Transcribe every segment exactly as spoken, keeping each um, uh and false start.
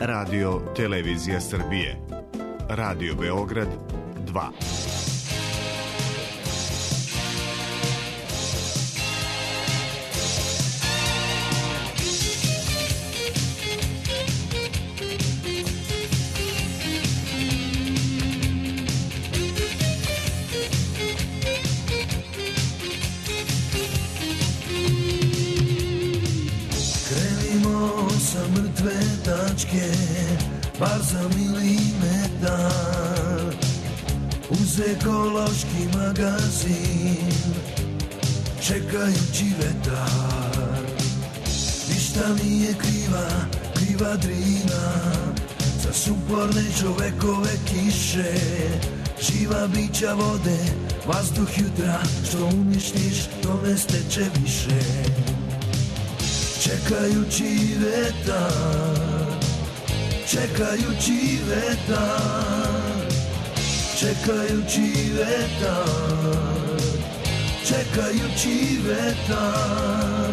Radio Televizija Srbije, Radio Beograd dva. Bar za milimetar uz ekološki magazin, čekajući vetar. Ništa nije kriva, kriva Drina, za suporne čovekove kiše. Živa bića vode, vazduh jutra, što uništiš, to ne steče više. Čekajući vetar, čekajući vetar, čekajući vetar, čekajući vetar,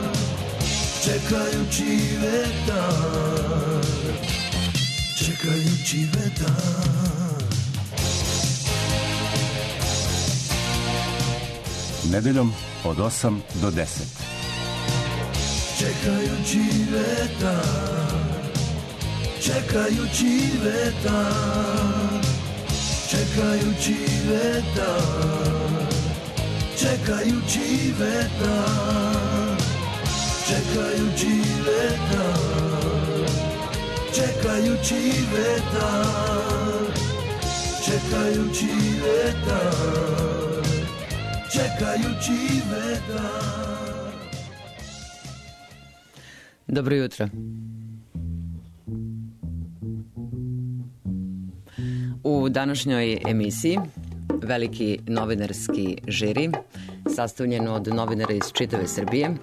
čekajući vetar, čekajući vetar. Nedeljom od osam do deset. Čekajući vetar, čekajući vetar, čekajući vetar, čekajući vetar, čekajući vetar, čekajući vetar, čekajući vetar, čekajući vetar. Dobro jutro. U današnjoj emisiji veliki novinarski žiri, sastavljen od novinara iz čitave Srbije,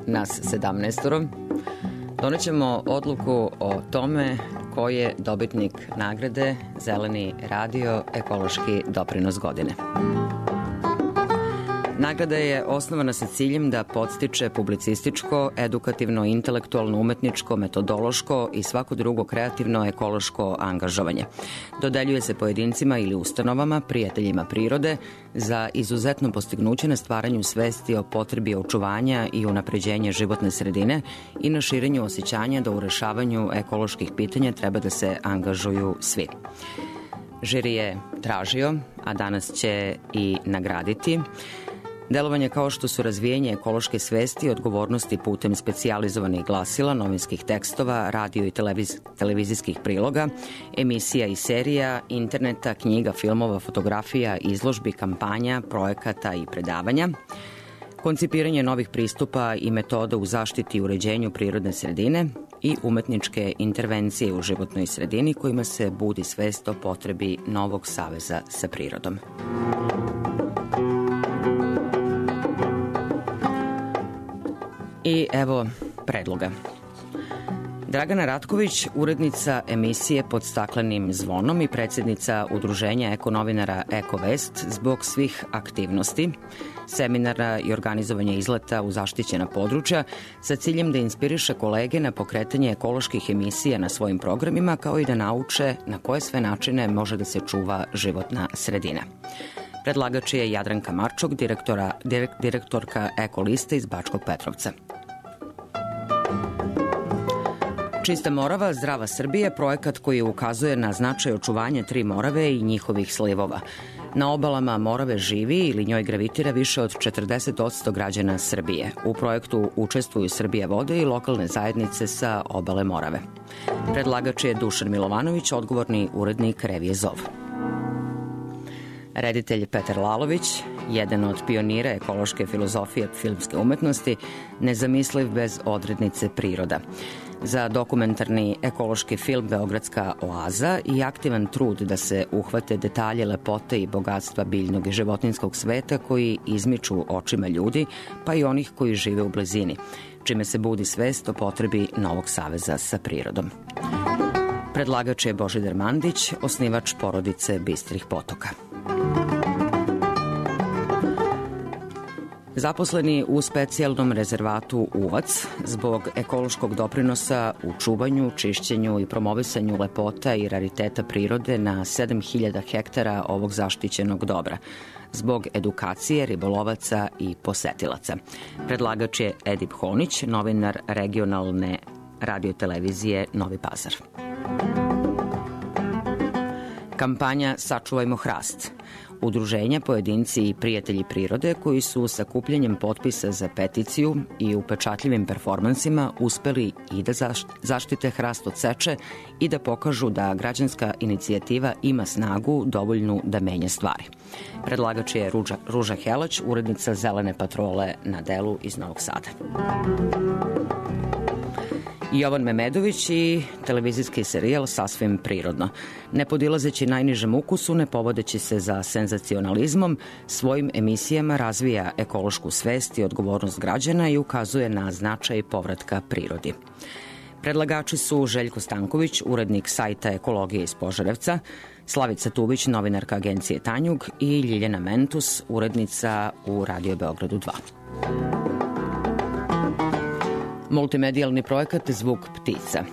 nas sedamnaestoro, donećemo odluku o tome ko je dobitnik nagrade Zeleni radio ekološki doprinos godine. Nagrada je osnovana sa ciljem da podstiče publicističko, edukativno, intelektualno, umetničko, metodološko i svako drugo kreativno ekološko angažovanje. Dodeljuje se pojedincima ili ustanovama, prijateljima prirode, za izuzetno postignuće na stvaranju svesti o potrebi očuvanja i unapređenja životne sredine i na širenju osjećanja da u rešavanju ekoloških pitanja treba da se angažuju svi. Žiri je tražio, a danas će i nagraditi delovanje kao što su razvijenje ekološke svesti i odgovornosti putem specijalizovanih glasila, novinskih tekstova, radio i televiz, televizijskih priloga, emisija i serija, interneta, knjiga, filmova, fotografija, izložbi, kampanja, projekata i predavanja, koncipiranje novih pristupa i metoda u zaštiti i uređenju prirodne sredine i umetničke intervencije u životnoj sredini kojima se budi svest o potrebi novog saveza sa prirodom. I evo predloga. Dragana Ratković, urednica emisije Pod staklenim zvonom i predsjednica udruženja ekonovinara Ekovest, zbog svih aktivnosti, seminara i organizovanja izleta u zaštićena područja sa ciljem da inspiriše kolege na pokretanje ekoloških emisija na svojim programima, kao i da nauče na koje sve načine može da se čuva životna sredina. Predlagač je Jadranka Marčok, direktora, direkt, direktorka Ekoliste iz Bačkog Petrovca. Čista Morava, zdrava Srbija, projekat koji ukazuje na značaj očuvanja tri Morave i njihovih slivova. Na obalama Morave živi ili njoj gravitira više od četrdeset posto građana Srbije. U projektu učestvuju Srbija vode i lokalne zajednice sa obale Morave. Predlagač je Dušan Milovanović, odgovorni urednik revije Zov. Reditelj Petar Lalović, jedan od pionira ekološke filozofije filmske umetnosti, nezamisliv bez odrednice priroda. Za dokumentarni ekološki film Beogradska oaza i aktivan trud da se uhvate detalje lepote i bogatstva biljnog i životinskog sveta koji izmiču očima ljudi, pa i onih koji žive u blizini, čime se budi svest o potrebi novog saveza sa prirodom. Predlagač je Božidar Mandić, osnivač porodice Bistrih potoka. Zaposleni u specijalnom rezervatu Uvac zbog ekološkog doprinosa u čuvanju, čišćenju i promovisanju lepota i rariteta prirode na sedam hiljada hektara ovog zaštićenog dobra, zbog edukacije ribolovaca i posetilaca. Predlagač je Edip Honić, novinar regionalne radiotelevizije Novi Pazar. Kampanja Sačuvajmo hrast. Udruženja, pojedinci i prijatelji prirode koji su sakupljanjem potpisa za peticiju i upečatljivim performansima uspeli i da zaštite hrast od seče i da pokažu da građanska inicijativa ima snagu dovoljnu da menja stvari. Predlagač je Ruža, Ruža Helać, urednica Zelene patrole na delu iz Novog Sada. Jovan Memedović i televizijski serijal Sasvim prirodno. Ne podilazeći najnižem ukusu, ne povodeći se za senzacionalizmom, svojim emisijama razvija ekološku svest i odgovornost građana i ukazuje na značaj povratka prirodi. Predlagači su Željko Stanković, urednik sajta Ekologije iz Požarevca, Slavica Tubić, novinarka agencije Tanjug i Ljiljana Mentus, urednica u Radio Beogradu dva. Multimedijalni projekat Zvuk ptica.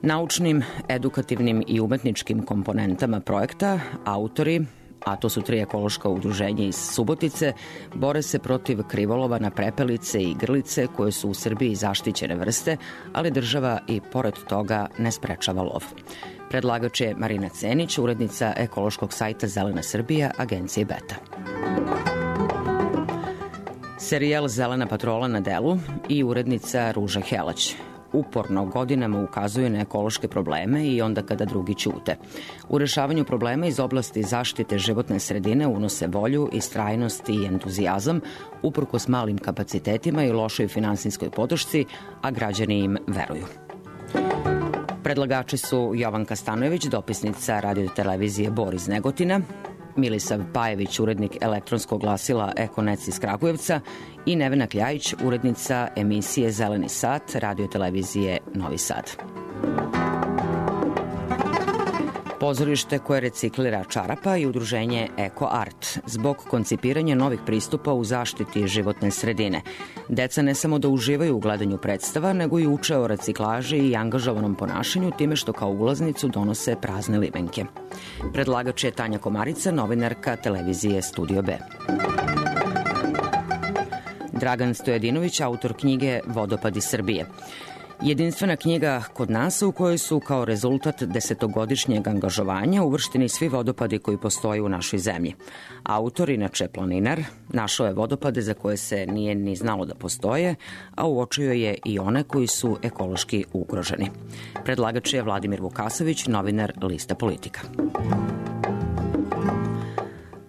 Naučnim, edukativnim i umetničkim komponentama projekta autori, a to su tri ekološka udruženja iz Subotice, bore se protiv krivolova na prepelice i grlice koje su u Srbiji zaštićene vrste, ali država i pored toga ne sprečava lov. Predlagač je Marina Cenić, urednica ekološkog sajta Zelena Srbija, agencije Beta. Serijal Zelena patrola na delu i urednica Ruža Helać. Uporno godinama ukazuje na ekološke probleme i onda kada drugi ćute. U rešavanju problema iz oblasti zaštite životne sredine unose volju, istrajnost i entuzijazam, uprkos malim kapacitetima i lošoj finansijskoj podršci, a građani im veruju. Predlagači su Jovanka Stanojević, dopisnica radiotelevizije Bor iz Negotina, Milisav Pajević, urednik elektronskog glasila Ekonec iz Kragujevca i Nevena Kljajić, urednica emisije Zeleni sat radiotelevizije Novi Sad. Pozorište koje reciklira čarapa i udruženje Eko Art zbog koncipiranja novih pristupa u zaštiti životne sredine. Deca ne samo da uživaju u gledanju predstava, nego i uče o reciklaži i angažovanom ponašanju time što kao ulaznicu donose prazne limenke. Predlagač je Tanja Komarica, novinarka televizije Studio B. Dragan Stojadinović, autor knjige Vodopadi Srbije. Jedinstvena knjiga kod nas u kojoj su kao rezultat desetogodišnjeg angažovanja uvršteni svi vodopadi koji postoje u našoj zemlji. Autor, inače planinar, našao je vodopade za koje se nije ni znalo da postoje, a uočio je i one koji su ekološki ugroženi. Predlagač je Vladimir Vukasović, novinar Lista Politika.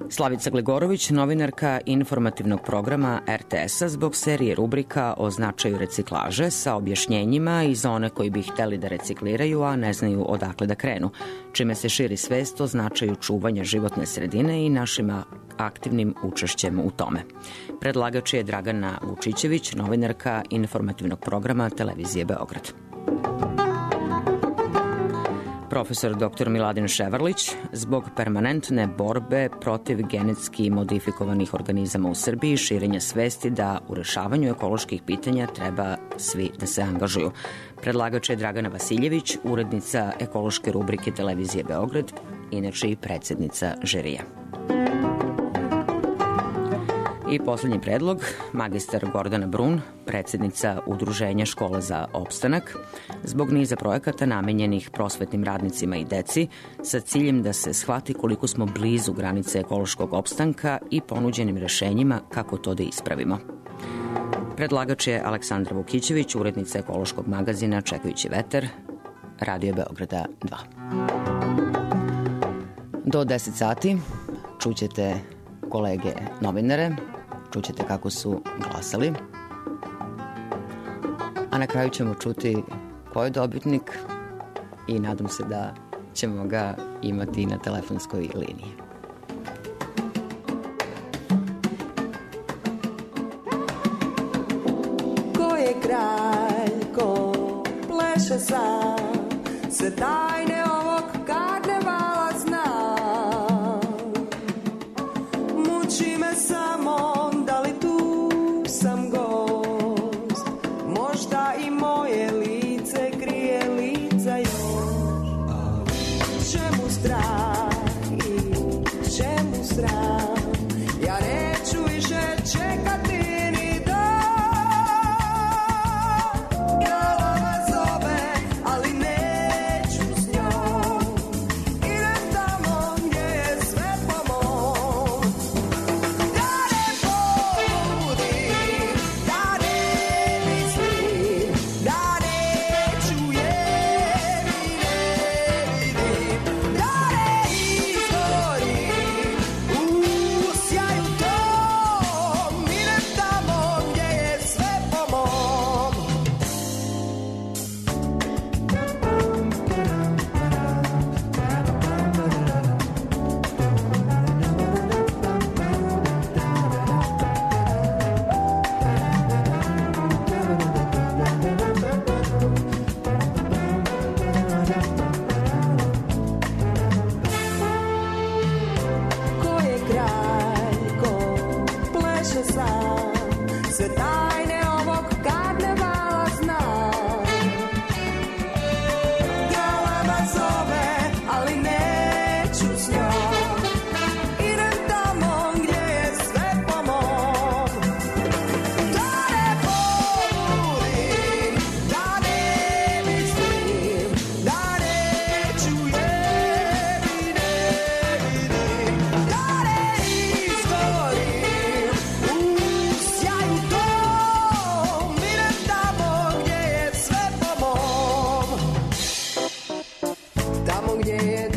Slavica Gligorović, novinarka informativnog programa er te es-a zbog serije rubrika o značaju reciklaže sa objašnjenjima i za one koji bi hteli da recikliraju, a ne znaju odakle da krenu, čime se širi svest o značaju čuvanja životne sredine i našim aktivnim učešćem u tome. Predlagač je Dragana Vučićević, novinarka informativnog programa Televizije Beograd. Profesor doktor Miladin Ševarlić, zbog permanentne borbe protiv genetski modifikovanih organizama u Srbiji i širenja svesti da u rešavanju ekoloških pitanja treba svi da se angažuju. Predlagač je Dragana Vasiljević, urednica ekološke rubrike Televizije Beograd, inače i predsednica žirija. I poslednji predlog, magistar Gordana Brun, predsednica Udruženja Škola za opstanak, zbog niza projekata namenjenih prosvetnim radnicima i deci, sa ciljem da se shvati koliko smo blizu granice ekološkog opstanka i ponuđenim rešenjima kako to da ispravimo. Predlagač je Aleksandra Vukićević, urednica ekološkog magazina Čekajući vetar, Radio Beograda dva. Do deset sati čućete kolege novinare, čućete kako su glasali, a na kraju ćemo čuti ko je dobitnik i nadam se da ćemo ga imati na telefonskoj liniji. Ko je kralj, ko pleše sam, sve tajne ovog karnevala znam. Muči me samo da li tu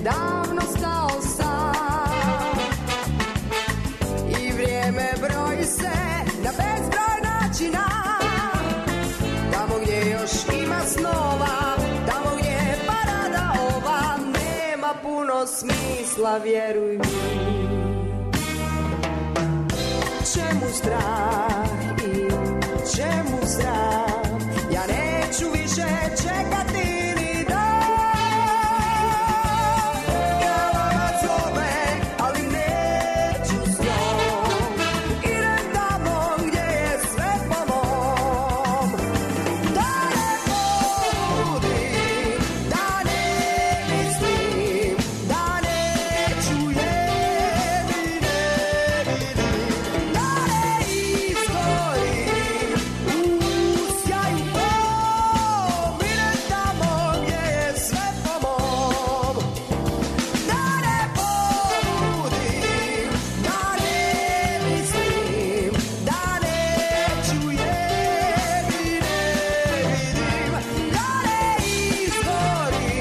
davno stao sam. I vrijeme broji se na bezbroj načina, tamo gdje još ima snova, tamo gdje je parada ova, nema puno smisla, vjeruj mi. Čemu strah i čemu strah, ja neću više čekati ni dan. Galama zove, ali neću s njom, idem tamo gdje je sve po mom. Da ne pobudim, da ne mislim, da neću je vidim, da ne izgorim u sjaju mom, idem tamo gdje je sve po mom. Da ne pobudim, da ne mislim, da neću je vidim, da ne izgorim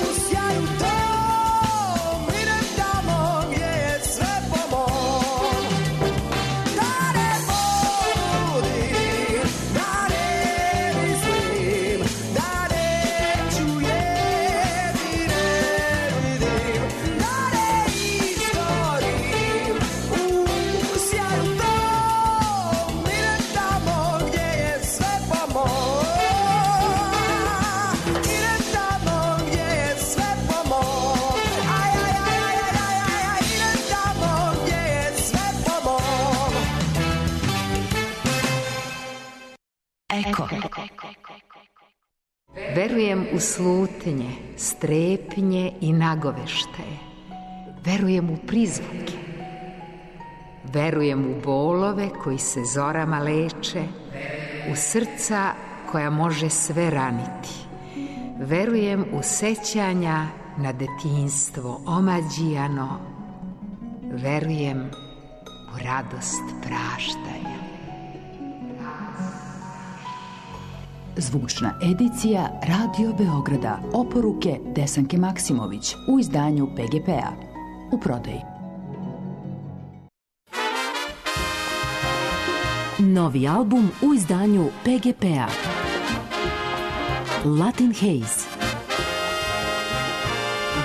u sjaju tom, idem tamo gdje je sve po mom. Da ne pobudim, da ne mislim, da neću je vidim, da ne izgorim u sjaju tom, idem tamo gdje je sve po mom. Idem tamo gdje je sve po mom. Aj, aj, aj, aj, aj, aj, aj, idem tamo gdje je sve po mom. Eko. Verujem u slutnje, strepnje i nagoveštaje. Verujem u prizvuke. Verujem u bolove koji se zorama leče, u srca koja može sve raniti. Verujem u sećanja na detinjstvo omađijano. Verujem u radost praštanja. Zvučna edicija Radio Beograda, oporuke Desanke Maksimović u izdanju P G P-a. U prodaji. Novi album u izdanju P G P-a. Latin Haze.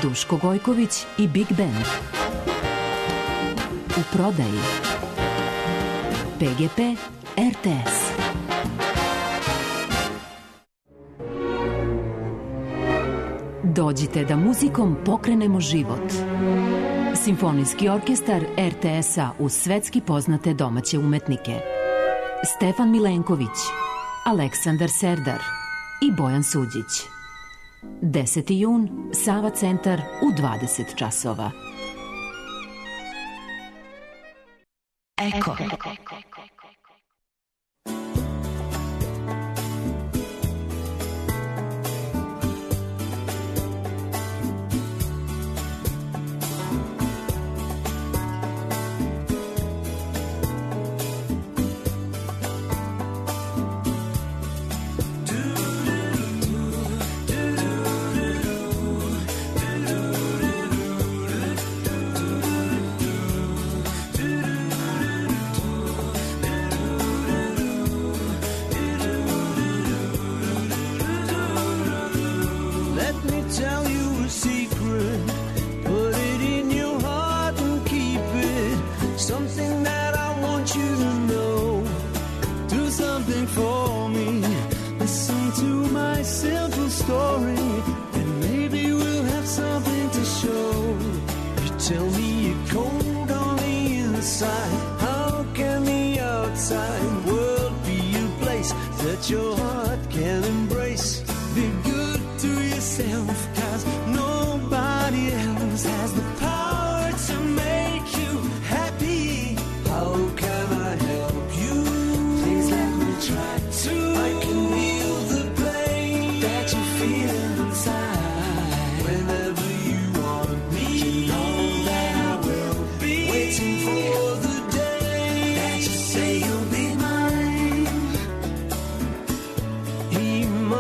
Duško Gojković i Big Band. U prodaji. P G P R T S. Dođite da muzikom pokrenemo život. Simfonijski orkestar R T S-a uz svetski poznate domaće umetnike. Stefan Milenković, Aleksandar Serdar i Bojan Suđić. deseti jun, Sava centar u dvadeset časova. Eko.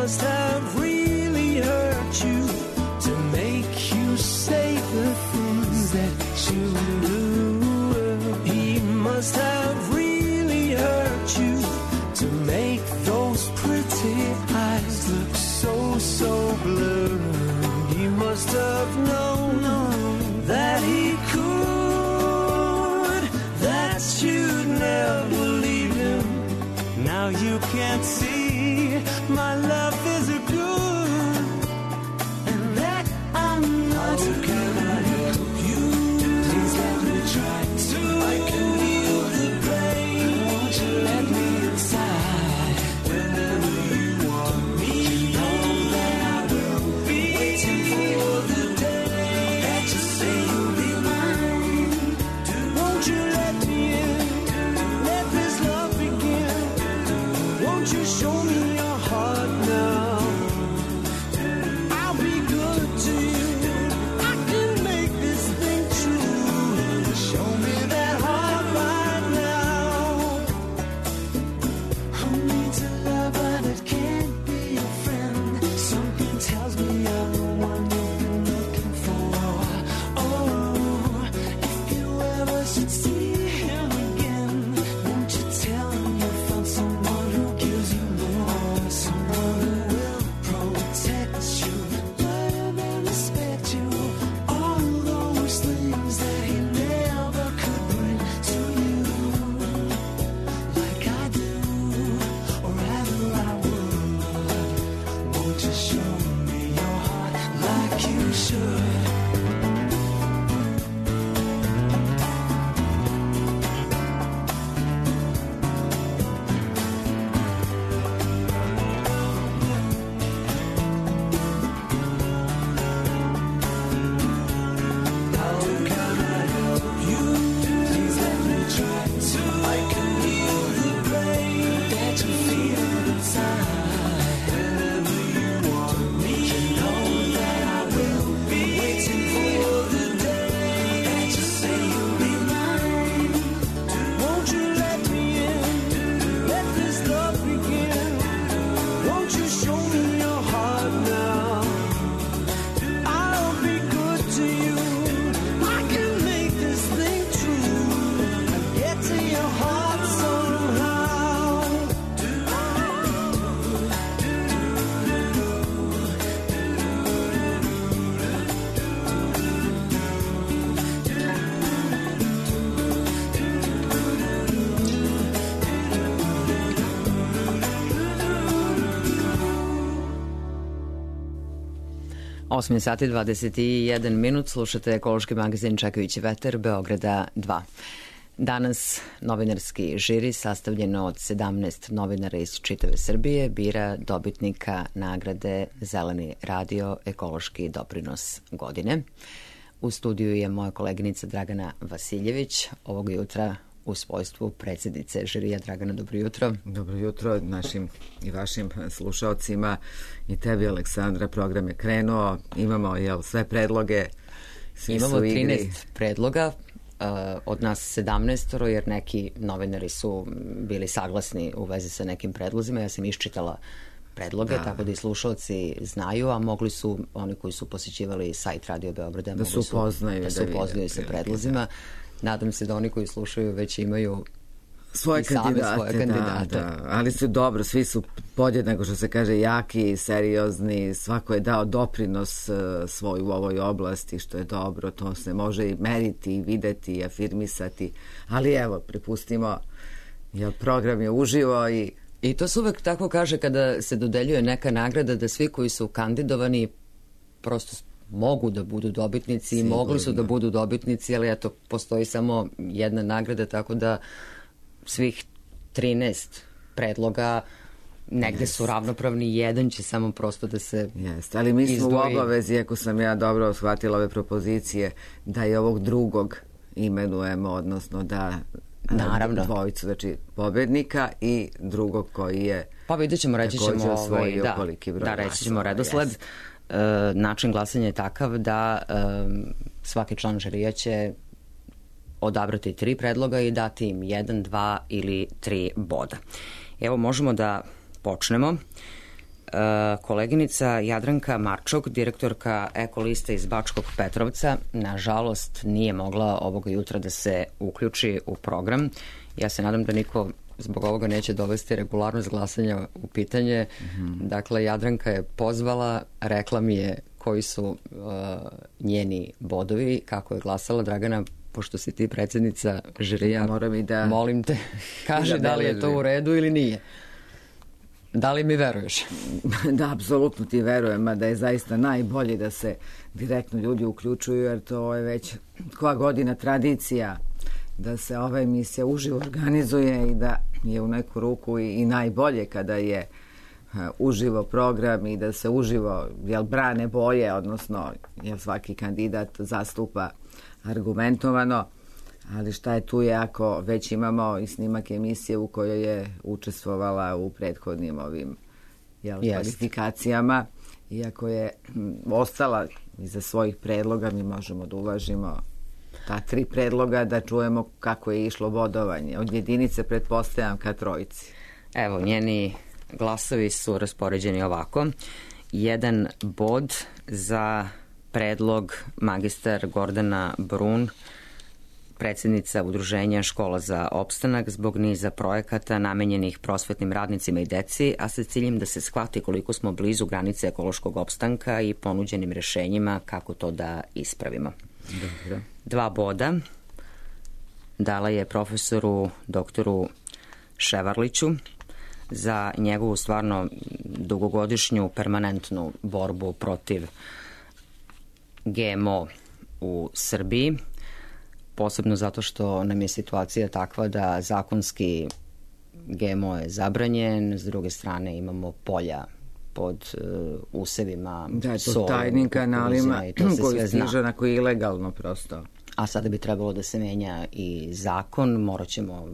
must have really hurt you to make learned. He must have known that he could, that you'd never leave him. Now you can't see my love is a good, and that I'm not. How can I help you? Please let me try to. I can heal the pain. Won't you let me inside? Whenever you want me, you know that I will be waiting for the day that you say you'll be mine. Won't you let me in? Let this love begin. Won't you show me your heart now? I'll be good to you. I can make this thing true. Show me that heart right now. I need to love, but it can't be a friend. Something tells me I'm the one you've been looking for. Oh, if you ever should see him again, won't you tell him you found someone who gives you more, someone who will protect you, love and respect you, all those things that he never could bring to you, like I do, or rather I would. Won't you show me your heart like you should? How can I help you? Please let me try to. I can heal the pain that you feel inside. Whenever you want me, you know that I will be waiting for the day that you say you'll be mine. Won't you let me in? Let this love begin. Won't you show me your heart now? I'll be good to you. I can make this thing true. Get to your heart somehow. osam sati dvadeset jedan minut, slušate ekološki magazin Čekajući vetar Beograda dva. Danas novinarski žiri sastavljeno od sedamnaest novinara iz čitave Srbije bira dobitnika nagrade Zeleni radio ekološki doprinos godine. U studiju je moja koleginica Dragana Vasiljević, ovog jutra u svojstvu predsjednice žirija. Dragana, dobro jutro. Dobro jutro našim i vašim slušalcima i tebi, Aleksandra. Program je krenuo, imamo jel, sve predloge, svi Imamo su igri. trinaest predloga, uh, od nas sedamnaest, jer neki novinari su bili saglasni u vezi sa nekim predlozima. Ja sam iščitala predloge, da. Tako da i slušalci znaju, a mogli su, oni koji su posjećivali sajt Radio Beograda, da se upoznaju, da, da, da upoznaju sa predlozima. Nadam se da oni koji slušaju već imaju svoje kandidate, svoje kandidate. Da, da. Ali su dobro, svi su podjednako, što se kaže, jaki, seriozni, svako je dao doprinos uh, svoj u ovoj oblasti, što je dobro, to se može i meriti, i videti, i afirmisati, ali evo, pripustimo, jer program je uživo i... I to se uvek tako kaže kada se dodeljuje neka nagrada, da svi koji su kandidovani prosto mogu da budu dobitnici. Sigurno. I mogli su da budu dobitnici, ali eto, postoji samo jedna nagrada, tako da svih trinaest predloga negde yes. su ravnopravni, jedan će samo prosto da se Jeste, ali mi smo izdvoji. U obavezi, ako sam ja dobro shvatila ove propozicije, da i ovog drugog imenujemo, odnosno da Naravno. dvojicu, znači pobednika i drugog koji je pa vidjet ćemo, reći ćemo ovaj, da, broj da, reći ćemo redosled. Yes. E, način glasanja je takav da e, svaki član žirija će odabrati tri predloga i dati im jedan, dva ili tri boda. Evo, možemo da počnemo. E, koleginica Jadranka Marčok, direktorka Ekoliste iz Bačkog Petrovca, nažalost nije mogla ovoga jutra da se uključi u program. Ja se nadam da niko zbog ovoga neće dovesti regularnost glasanja u pitanje. Mm-hmm. Dakle, Jadranka je pozvala, rekla mi je koji su uh, njeni bodovi, kako je glasala. Dragana, pošto si ti predsjednica žirija, moram i da, molim te, kaži da, da li je to u redu ili nije. Da li mi veruješ? Da, apsolutno ti verujem, a da je zaista najbolje da se direktno ljudi uključuju, jer to je već koja godina tradicija da se ova emisija uživo organizuje i da je u neku ruku i, i najbolje kada je uh, uživo program i da se uživo jel, brane boje, odnosno jel, svaki kandidat zastupa argumentovano, ali šta je tu je ako već imamo i snimak emisije u kojoj je učestvovala u prethodnim ovim jel, kvalifikacijama, iako je m, ostala iza svojih predloga, mi možemo da uvažimo ta tri predloga, da čujemo kako je išlo bodovanje. Od jedinice pretpostavljam ka trojici. Evo, njeni glasovi su raspoređeni ovako. Jedan bod za predlog magistar Gordana Brun, predsjednica Udruženja Škola za opstanak, zbog niza projekata namenjenih prosvetnim radnicima i deci, a sa ciljem da se shvati koliko smo blizu granice ekološkog opstanka i ponuđenim rešenjima kako to da ispravimo. Dobro. Dva boda dala je profesoru doktoru Ševarliću za njegovu stvarno dugogodišnju permanentnu borbu protiv G M O u Srbiji, posebno zato što nam je situacija takva da zakonski G M O je zabranjen, s druge strane imamo polja pod uh, usevima, da, to sol, tajnim kanalima koji stiže onako ilegalno prosto. A sada bi trebalo da se menja i zakon, morat ćemo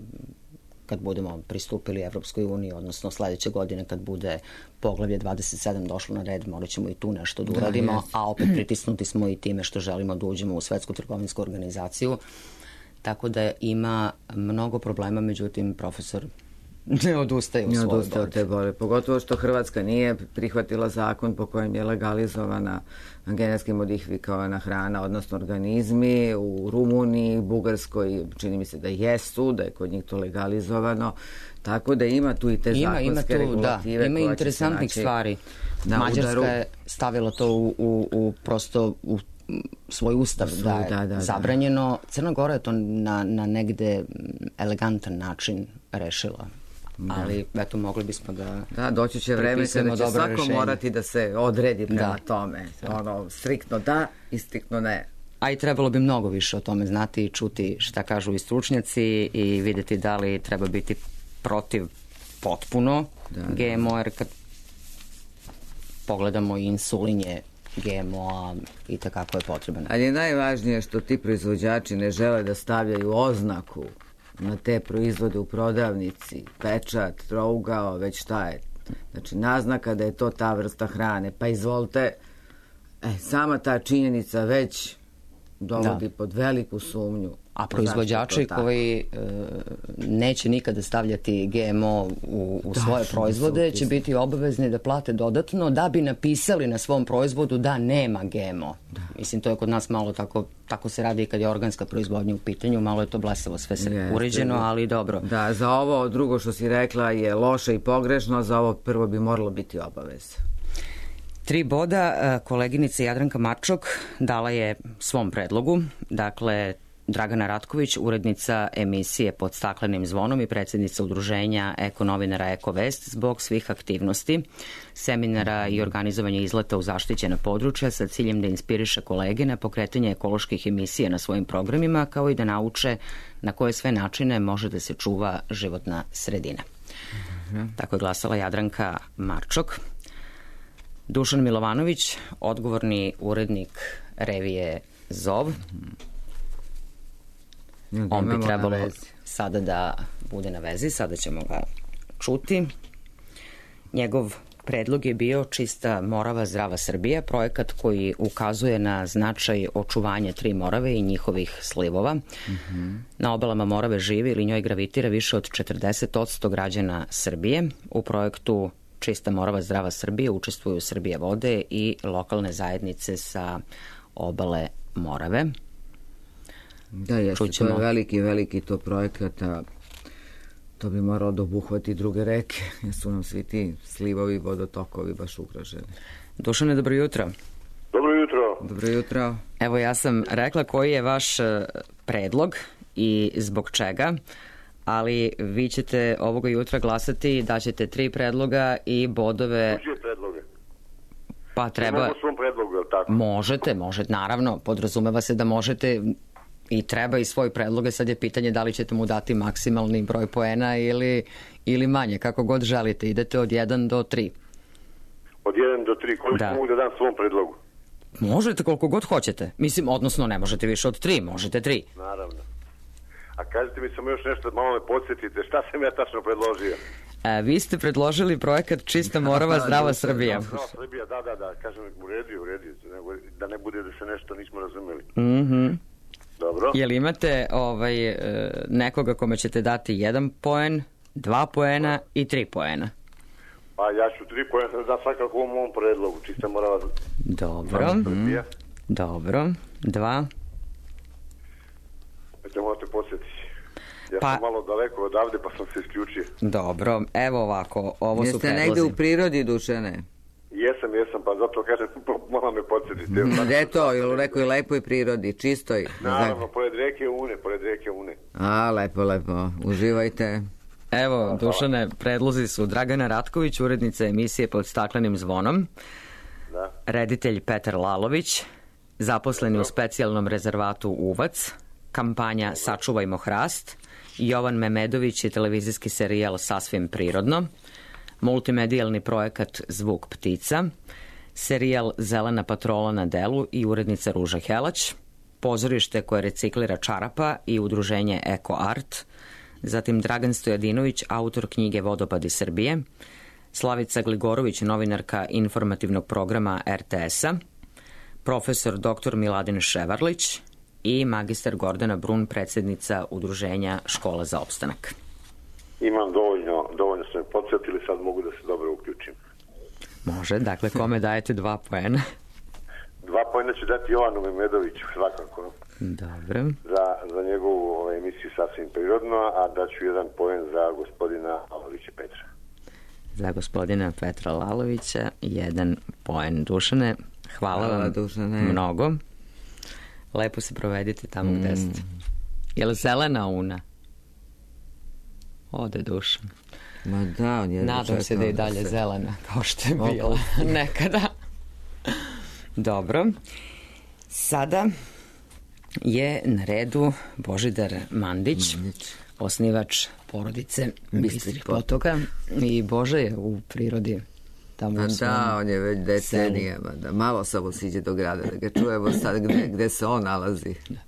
kad budemo pristupili Evropskoj uniji, odnosno sledeće godine kad bude poglavlje dvadeset sedam došlo na red, morat ćemo i tu nešto da uradimo, da, a opet pritisnuti smo i time što želimo da uđemo u Svetsku trgovinsku organizaciju. Tako da ima mnogo problema, međutim profesor ne odustaje u svojoj borbi. Ne odustaje od te borbe, pogotovo što Hrvatska nije prihvatila zakon po kojem je legalizovana genetski modifikovana hrana, odnosno organizmi. U Rumuniji, Bugarskoj čini mi se da jesu, da je kod njih to legalizovano, tako da ima tu i te ima, zakonske ima tu, regulative. Da, ima interesantnih stvari. Mađarska udaru. je stavila to u, u, u prosto u svoj ustav, Svoj, da je da, da, zabranjeno. Da. Crna Gora je to na, na negde elegantan način rešila. Da. Ali eto, mogli bismo da da, doći će vreme kada će svako rešenje. morati da se odredi prema da. tome. Ono, striktno da i striktno ne. A i trebalo bi mnogo više o tome znati i čuti šta kažu i stručnjaci i videti da li treba biti protiv potpuno da, G M O, jer kad pogledamo insulin je G M O-a i takako je potreban. Ali je najvažnije što ti proizvođači ne žele da stavljaju oznaku na te proizvode u prodavnici, pečat, trougao, već šta je. Znači, naznaka da je to ta vrsta hrane. Pa izvolite, e, sama ta činjenica već dovodi da. pod veliku sumnju. A proizvođači koji e, neće nikada stavljati G M O u, u da, svoje proizvode će biti obavezni da plate dodatno da bi napisali na svom proizvodu da nema G M O. Da. Mislim, to je kod nas malo tako, tako se radi i kad je organska proizvodnja u pitanju, malo je to blesavo sve se Jeste, uređeno, ali dobro. Da, za ovo drugo što si rekla je loše i pogrešno, za ovo prvo bi moralo biti obaveza. Tri boda koleginica Jadranka Marčok dala je svom predlogu, dakle Dragana Ratković, urednica emisije Pod staklenim zvonom i predsjednica udruženja Eko novinara Eko Vest, zbog svih aktivnosti, seminara i organizovanja izleta u zaštićena područja sa ciljem da inspiriše kolege na pokretanje ekoloških emisija na svojim programima, kao i da nauče na koje sve načine može da se čuva životna sredina. Mm-hmm. Tako je glasala Jadranka Marčok. Dušan Milovanović, odgovorni urednik revije Zov. On bi trebalo sada da bude na vezi, sada ćemo ga čuti. Njegov predlog je bio Čista Morava, zdrava Srbija, projekat koji ukazuje na značaj očuvanja tri Morave i njihovih slivova. Mm-hmm. Na obalama Morave živi ili njoj gravitira više od četrdeset posto građana Srbije. U projektu Čista Morava, zdrava Srbija učestvuju Srbije vode i lokalne zajednice sa obale Morave. Da, jeste, Čućemo. To je veliki, veliki to projekata To bi moralo da obuhvati druge reke, jer su nam svi ti slivovi i vodotokovi baš ugroženi. Dušane, dobro jutro. Dobro jutro. Dobro jutro. Evo, ja sam rekla koji je vaš predlog i zbog čega, ali vi ćete ovoga jutra glasati, daćete tri predloga i bodove... Uđe predloge. Pa treba... Imamo svom predlogu, je li tako? Možete, možete, naravno, podrazumeva se da možete i treba i svoj predloge, sad je pitanje da li ćete mu dati maksimalni broj poena ili, ili manje, kako god želite, idete od jedan do tri. Od jedan do tri, koliko da. mogu da dam svom predlogu? Možete koliko god hoćete, mislim, odnosno ne možete više od tri, možete tri. Naravno. A kažete mi samo još nešto, malo me podsjetite, šta sam ja tačno predložio? E, vi ste predložili projekat Čista Morava, Zdrava Srbija. Zdrava Srbija, da, da, da, kažem, u redu, u redu, da ne bude da se nešto nismo razumeli. Mhm. Dobro. Jel imate ovaj, nekoga kome ćete dati jedan poen, dva poena i tri poena? Pa ja ću tri poena da svakako u mom predlogu, Čista Morava. Dobro. Mm. Dobro. Dva. Te morate posjetiti. Ja pa... sam malo daleko odavde pa sam se isključio. Dobro, evo ovako, ovo Jeste su predlozi. Jeste negde u prirodi, Dušane? Jesam, jesam, pa zato kažem, malo me podsjetiti. Gde je to? Ili u nekoj lepoj prirodi, čistoj? Naravno, pored reke Une, pored reke Une. A, lepo, lepo, uživajte. Evo, Hvala. Dušane, predlozi su Dragana Ratković, urednica emisije Pod staklenim zvonom, da. Reditelj Petar Lalović, zaposleni u specijalnom rezervatu Uvac, kampanja Sačuvajmo hrast, Jovan Memedović i televizijski serijal Sasvim prirodno, multimedijalni projekat Zvuk ptica, serijal Zelena patrola na delu i urednica Ruža Helać, pozorište koje reciklira čarapa i udruženje Eko Art, zatim Dragan Stojadinović, autor knjige Vodopadi Srbije, Slavica Gligorović, novinarka informativnog programa er te es-a, profesor doktor Miladin Ševarlić i magistar Gordana Brun, predsjednica udruženja Škola za opstanak. Imam dovoljno, dovoljno ste me podsjetili, sad mogu da se dobro uključim. Može, dakle, kome dajete dva poena? Dva poena ću dati Jovanu Memedoviću, svakako. Dobro. Za, za njegovu ovaj, emisiju Sasvim prirodno, a daću jedan poen za gospodina Lalovića Petra. Za gospodina Petra Lalovića jedan poen. Dušane, hvala, hvala vam Dušane. Mnogo. Lepo se provedite tamo mm. gde ste. Je li zelena Una? Ode Dušan. Ma da, on je nadam se da je dalje se... zelena, kao što je bila nekada. Dobro. Sada je na redu Božidar Mandić, Mandić. osnivač porodice Bistrih potoka. I Bože je u prirodi tamo u svom da, on je već decenijama. Da, malo samo siđe do grada da ga čujemo sad gde, gde se on nalazi. Da.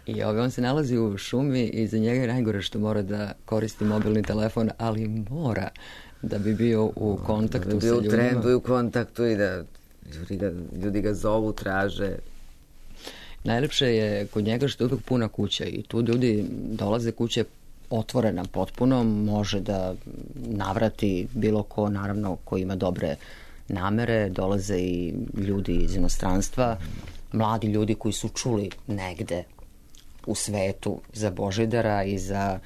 I ove, on se nalazi u šumi i za njega je najgore što mora da koristi mobilni telefon, ali mora da bi bio u kontaktu da bi bio sa ljudima. U trendu i u kontaktu i da ljudi ga, ljudi ga zovu, traže. Najlepše je kod njega što je uvijek puna kuća i tu ljudi dolaze, kuće otvorena potpuno, može da navrati bilo ko, naravno, ko ima dobre namere, dolaze i ljudi iz inostranstva, mladi ljudi koji su čuli negde u svetu za Božidara i za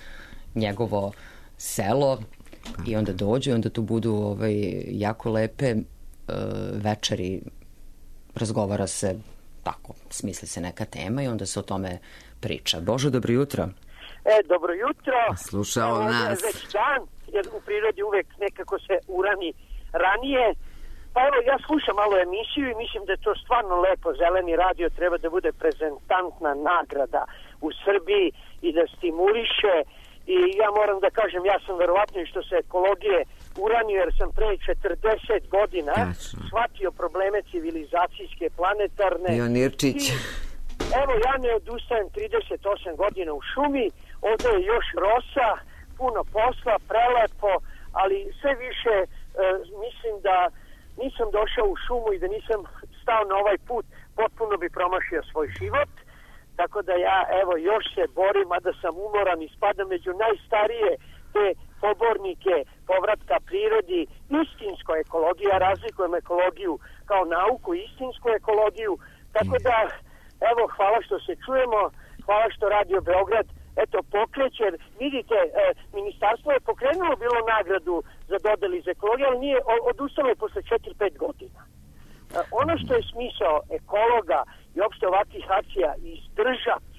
njegovo selo i onda dođu i onda tu budu ovaj, jako lepe uh, večeri, razgovara se tako, smisli se neka tema i onda se o tome priča. Bože, dobro jutro. E, dobro jutro. Slušao Evo, nas. Već dan, jer u prirodi uvek nekako se urani ranije. Pa evo, ja slušam malo emisiju i mislim da je to stvarno lepo. Zeleni radio treba da bude prezentantna nagrada u Srbiji i da stimuliše. I ja moram da kažem, ja sam verovatno i što se ekologije uranio, jer sam pre četrdeset godina Tačno. shvatio probleme civilizacijske, planetarne. Pionirčić. I, evo, ja ne odustajem, trideset osam godina u šumi, ovdje je još rosa, puno posla, prelepo, ali sve više e, mislim da nisam došao u šumu i da nisam stao na ovaj put, potpuno bi promašio svoj život. Tako da ja, evo, još se borim, a da sam umoran i spadam među najstarije te pobornike povratka prirodi, istinsku ekologiju, ja razlikujem ekologiju kao nauku, istinsku ekologiju. Tako da, evo, hvala što se čujemo, hvala što Radio Beograd eto, pokreće, jer vidite, e, ministarstvo je pokrenulo bilo nagradu za dodeli iz ekologije, ali nije, odustalo je posle četiri pet godina. E, ono što je smisao ekologa i opšte ovakvih akcija izdržati,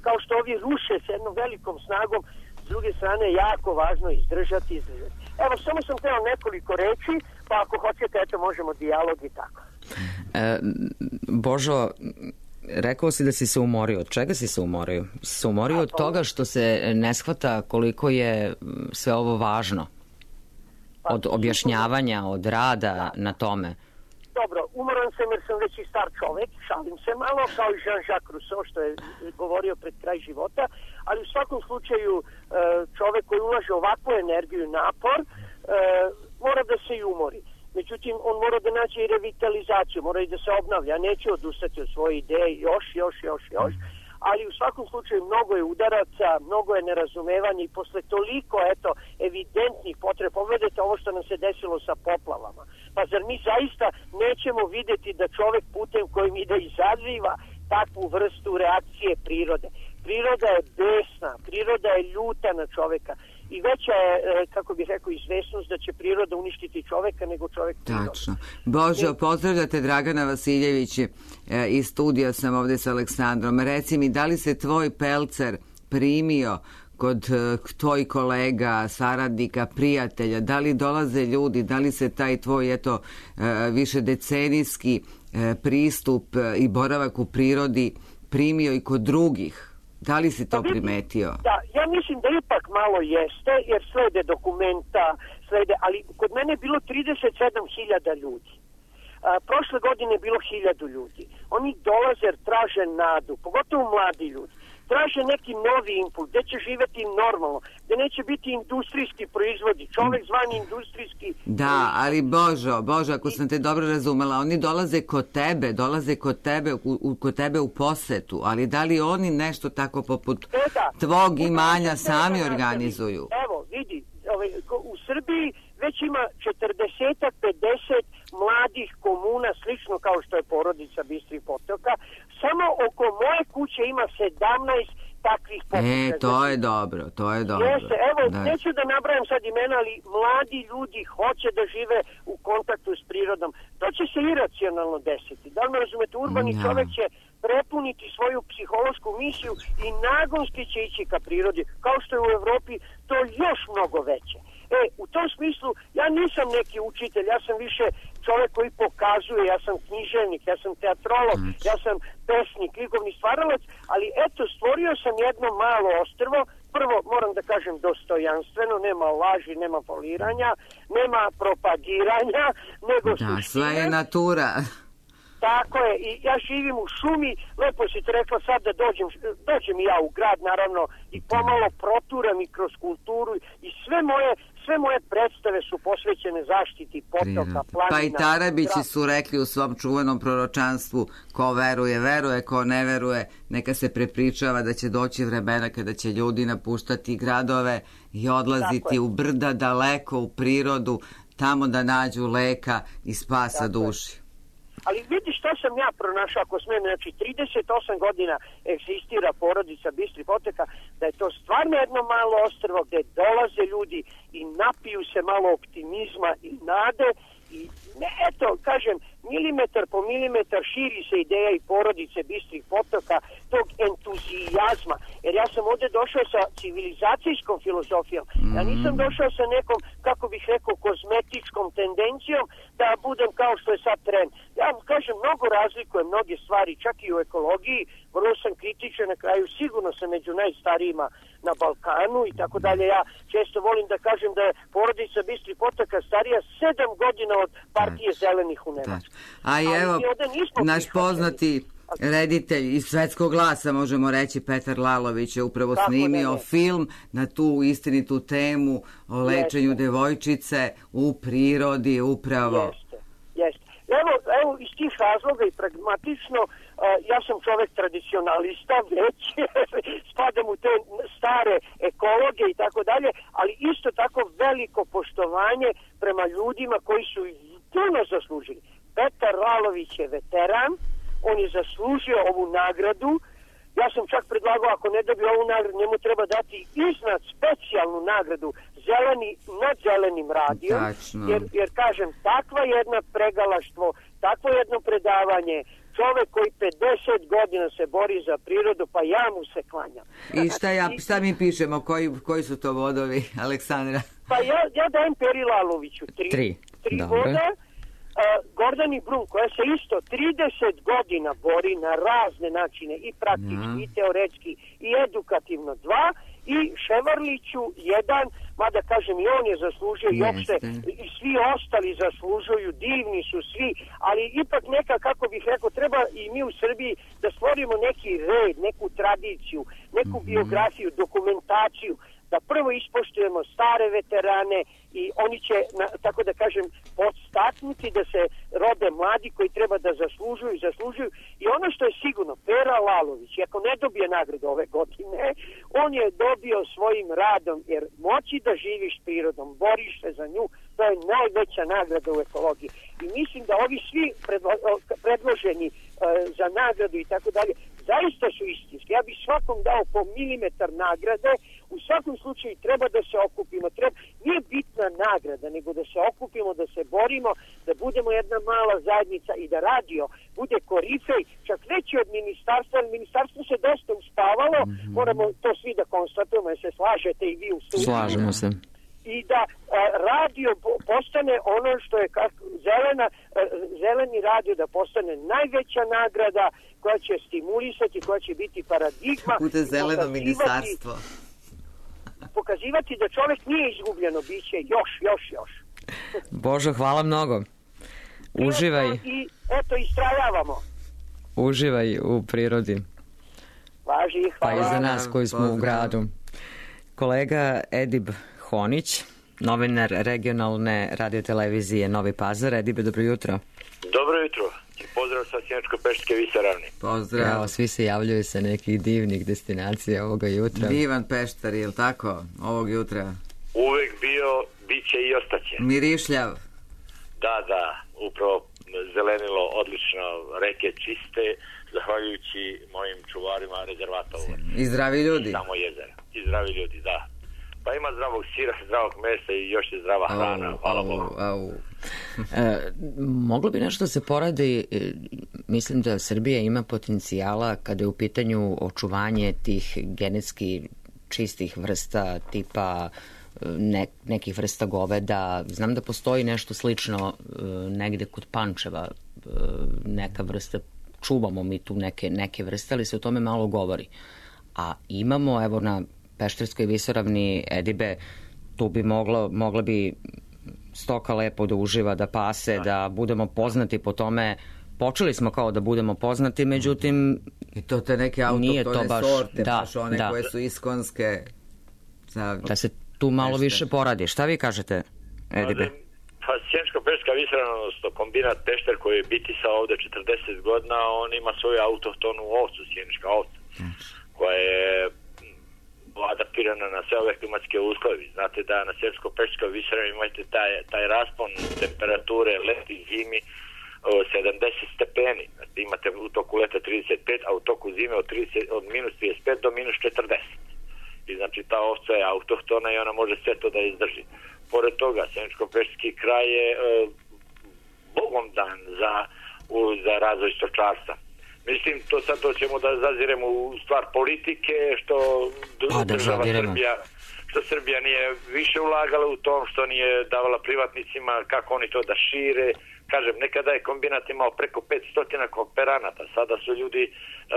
kao što ovi ruše s jednom velikom snagom, s druge strane je jako važno izdržati, izdržati. Evo, samo sam hteo nekoliko reči, pa ako hoćete, eto, možemo dijalog i tako. E, Božo, rekao si da si se umorio. Od čega si se umorio? Si se umorio od toga što se ne shvata koliko je sve ovo važno? Od objašnjavanja, od rada na tome? Dobro, umoran sam jer sam već i star čovek, šalim se malo, kao i Jean-Jacques Rousseau što je govorio pred kraj života, ali u svakom slučaju čovek koji ulaže ovakvu energiju i napor mora da se i umori. Međutim, on mora da nađe i revitalizaciju, mora i da se obnavlja. Neće odustati od svoje ideje još, još, još, još. Ali u svakom slučaju mnogo je udaraca, mnogo je nerazumevanja i posle toliko, eto, evidentnih potreba. Pogledajte ovo što nam se desilo sa poplavama. Pa zar mi zaista nećemo videti da čovek putem kojim ide izaziva takvu vrstu reakcije prirode? Priroda je besna, priroda je ljuta na čoveka. I veća je, kako bih rekao, izvesnost da će priroda uništiti čoveka nego čovek priroda. Tačno. Božo, pozdravljate Dragana Vasiljević iz studija sam ovde sa Aleksandrom. Reci mi, da li se tvoj pelcer primio kod tvoj kolega, saradnika, prijatelja, da li dolaze ljudi, da li se taj tvoj, eto, višedecenijski pristup i boravak u prirodi primio i kod drugih? Da li si to primetio? Da, ja mislim da ipak malo jeste, jer slede dokumenta, slede, ali kod mene je bilo trideset sedam hiljada ljudi. A, prošle godine je bilo hiljadu ljudi. Oni dolaze jer traže nadu, pogotovo mladi ljudi. Traže neki novi impuls, gde će živeti normalno, gde neće biti industrijski proizvodi, čovek zvani industrijski... Da, ali Božo, Božo, ako sam te dobro razumela, oni dolaze kod tebe, dolaze kod tebe, u, kod tebe u posetu, ali da li oni nešto tako poput e, da. tvog imanja sami organizuju? Evo, vidi, ovaj, u Srbiji već ima četrdeset do pedeset mladih komuna, slično kao što je porodica Bistrih potoka. Samo oko moje kuće ima sedamnaest takvih pokušaja. E, to je dobro, to je dobro. Jeste, evo, da. Neću da nabrajam sad imena, ali mladi ljudi hoće da žive u kontaktu s prirodom. To će se iracionalno desiti. Da li me razumete, urbani ja. čovek će prepuniti svoju psihološku misiju i nagonski će ići ka prirodi, kao što je u Evropi to još mnogo veće. E, u tom smislu, ja nisam neki učitelj, ja sam više čovek koji pokazuje, ja sam književnik, ja sam teatrolog, ja sam pesnik, likovni stvaralac, ali eto, stvorio sam jedno malo ostrvo, prvo, moram da kažem, dostojanstveno, nema laži, nema foliranja, nema propagiranja, nego da, suštine. Sve je natura. Tako je, i ja živim u šumi, lepo si te rekla sad da dođem, dođem i ja u grad, naravno, i pomalo proturam i kroz kulturu i sve moje, sve moje predstave su posvećene zaštiti potoka, planina. Pa i Tarabići su rekli u svom čuvenom proročanstvu, ko veruje, veruje, ko ne veruje, neka se prepričava da će doći vremena kada će ljudi napuštati gradove i odlaziti u brda, daleko u prirodu, tamo da nađu leka i spasa duši. Ali vidi što sam ja pronašao, ako smem, znači trideset osam godina egzistira porodica Bistrih potoka, da je to stvarno jedno malo ostrvo gde dolaze ljudi i napiju se malo optimizma i nade i ne, eto, kažem, milimetar po milimetar širi se ideja i porodice Bistrih potoka, tog entuzijazma, jer ja sam ovde došao sa civilizacijskom filozofijom, ja nisam došao sa nekom, kako bih rekao, kozmetičkom tendencijom da budem kao što je sad trend. Ja kažem, mnogo razlikujem mnoge stvari, čak i u ekologiji, vrlo sam kritičan, na kraju sigurno sam među najstarijima na Balkanu i tako dalje. Ja često volim da kažem da je porodica Bistrih potoka starija sedam godina od partije zelenih u Nemačkoj. A i evo, naš poznati reditelj iz Svetskog glasa, možemo reći, Petar Lalović je upravo tako snimio ne, ne. film na tu istinitu temu o lečenju jeste. devojčice u prirodi upravo. Jeste, jeste. Evo, evo iz tih razloga i pragmatično, uh, ja sam čovek tradicionalista, već spadam u te stare ekologe i tako dalje, ali isto tako veliko poštovanje prema ljudima koji su puno zaslužili. Petar Lalović je veteran, on je zaslužio ovu nagradu Ja sam čak predlagao, ako ne dobije ovu nagradu, njemu treba dati iznad specijalnu nagradu zeleni nad zelenim radijom. Jer, jer kažem, takva jedna pregalaštvo, takvo jedno predavanje, čovek koji pedeset godina se bori za prirodu, pa ja mu se klanjam. I šta, ja, šta mi pišemo, koji, koji su to vodovi, Aleksandra? Pa ja, ja dajem Peri Laloviću tri, tri. tri voda. Uh, Gordani Blum, koja se isto trideset godina bori na razne načine, i praktički, ja. i teoretski, i edukativno dva, i Ševarliću jedan, mada kažem i on je zaslužio, i opšte, i svi ostali zaslužuju, divni su svi, ali ipak neka, kako bih rekao, treba i mi u Srbiji da stvorimo neki red, neku tradiciju, neku mm-hmm. biografiju, dokumentaciju, da prvo ispoštujemo stare veterane i oni će, na, tako da kažem, podstaknuti da se rode mladi koji treba da zaslužuju i zaslužuju. I ono što je sigurno, Pera Lalović, ako ne dobije nagradu ove godine, on je dobio svojim radom, jer moći da živiš prirodom, boriš se za nju, to je najveća nagrada u ekologiji. I mislim da ovi svi predlo, predloženi uh, za nagradu i tako dalje, zaista su istinski. Ja bih svakom dao po milimetar nagrade. U svakom slučaju treba da se okupimo. Treba, nije bitna nagrada, nego da se okupimo, da se borimo, da budemo jedna mala zajednica i da radio bude korifej, čak veći od ministarstva, jer ministarstvo se dosta uspavalo, mm-hmm. moramo to svi da konstatujemo, jer se slažete i vi u studiju. Slažemo se. I da a, radio postane ono što je kako, zelena, a, zeleni radio da postane najveća nagrada koja će stimulisati, koja će biti paradigma. Bude zeleno ministarstvo. Pokazivati da čovjek nije izgubljeno biće, još, još, još. Božo, hvala mnogo. Uživaj. I eto, istrajavamo. Uživaj u prirodi. Važi, hvala. Pa i za nas koji smo u gradu. Kolega Edib Honić, novinar regionalne radiotelevizije Novi Pazar. Edibe, dobro jutro. Dobro jutro. Pozdrav sa Sjeničko-Pešterske visoravni. Pozdrav. Evo, svi se javljaju sa nekih divnih destinacija ovoga jutra. Divan Pešter, je li tako, ovog jutra? Uvek bio, bit će i ostaće. Mirišljav. Da, da, upravo zelenilo odlično, reke čiste, zahvaljujući mojim čuvarima rezervata. I zdravi ljudi. Samo jezera. I zdravi ljudi, da. Pa ima zdravog sira, zdravog mesa i još je zdrava hrana, au, hvala au, Bogu. Au. E, moglo bi nešto se poradi, e, mislim da Srbija ima potencijala kada je u pitanju očuvanje tih genetski čistih vrsta tipa ne, nekih vrsta goveda. Znam da postoji nešto slično e, negde kod Pančeva, e, neka vrsta, čuvamo mi tu neke, neke vrste, ali se o tome malo govori. A imamo, evo na Pešterskoj visoravni, Edibe, tu bi moglo, mogla bi stoka lepo da uživa, da pase, da budemo poznati po tome. Počeli smo kao da budemo poznati, međutim i to te neke autohtone baš, sorte, da, baš one da. koje su iskonske. Za... Da se tu malo Pešte. više poradi. Šta vi kažete, Edibe? Pa Sjeničko-Pešterska visoravna, odnosno kombinat Pešter koji je bitisao ovde četrdeset godina, on ima svoju autohtonu ovcu, sjenička ovca, koja je adaptirana na sve ove klimatske uslove. Znate da na Sjeničko-Pešterskoj visoravni imate taj, taj raspon temperature leti i zimi sedamdeset stepeni. Znači, imate u toku leta trideset pet, a u toku zime od, trideset, od minus trideset pet do minus četrdeset. I znači ta ovca je autohtona i ona može sve to da izdrži. Pored toga, Sjeničko-Pešterski kraj je e, bogom dan za, u, za razvoj stočarstva. Mislim, to sad to ćemo da zaziremo u stvar politike, što pa, država Srbija, što Srbija nije više ulagala u tom, što nije davala privatnicima, kako oni to da šire. Kažem, nekada je kombinat imao preko petsto kooperanata, sada su ljudi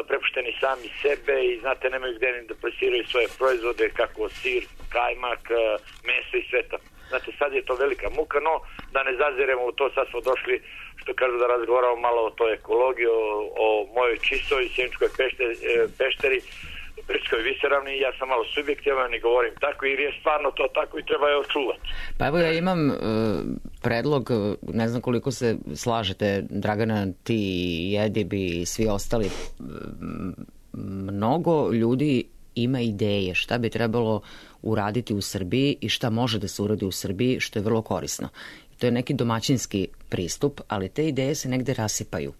prepušteni sami sebe i znate, nemaju gde ni da plasiraju svoje proizvode, kako sir, kajmak, meso i sve to. Znate, sad je to velika muka, no da ne zaziremo u to, sad smo došli, što kažu, da razgovaramo malo o toj ekologiji, o, o mojoj čistoj Sjeničkoj pešteri, pešteri Pešterskoj visoravni. Ja sam malo subjektivan i govorim tako, jer je stvarno to tako i treba je očuvati. Pa evo, ja imam uh, predlog, ne znam koliko se slažete, Dragana, ti i Edib i svi ostali, mnogo ljudi ima ideje šta bi trebalo uraditi u Srbiji i šta može da se uradi u Srbiji, što je vrlo korisno. To je neki domaćinski pristup, ali te ideje se negde rasipaju.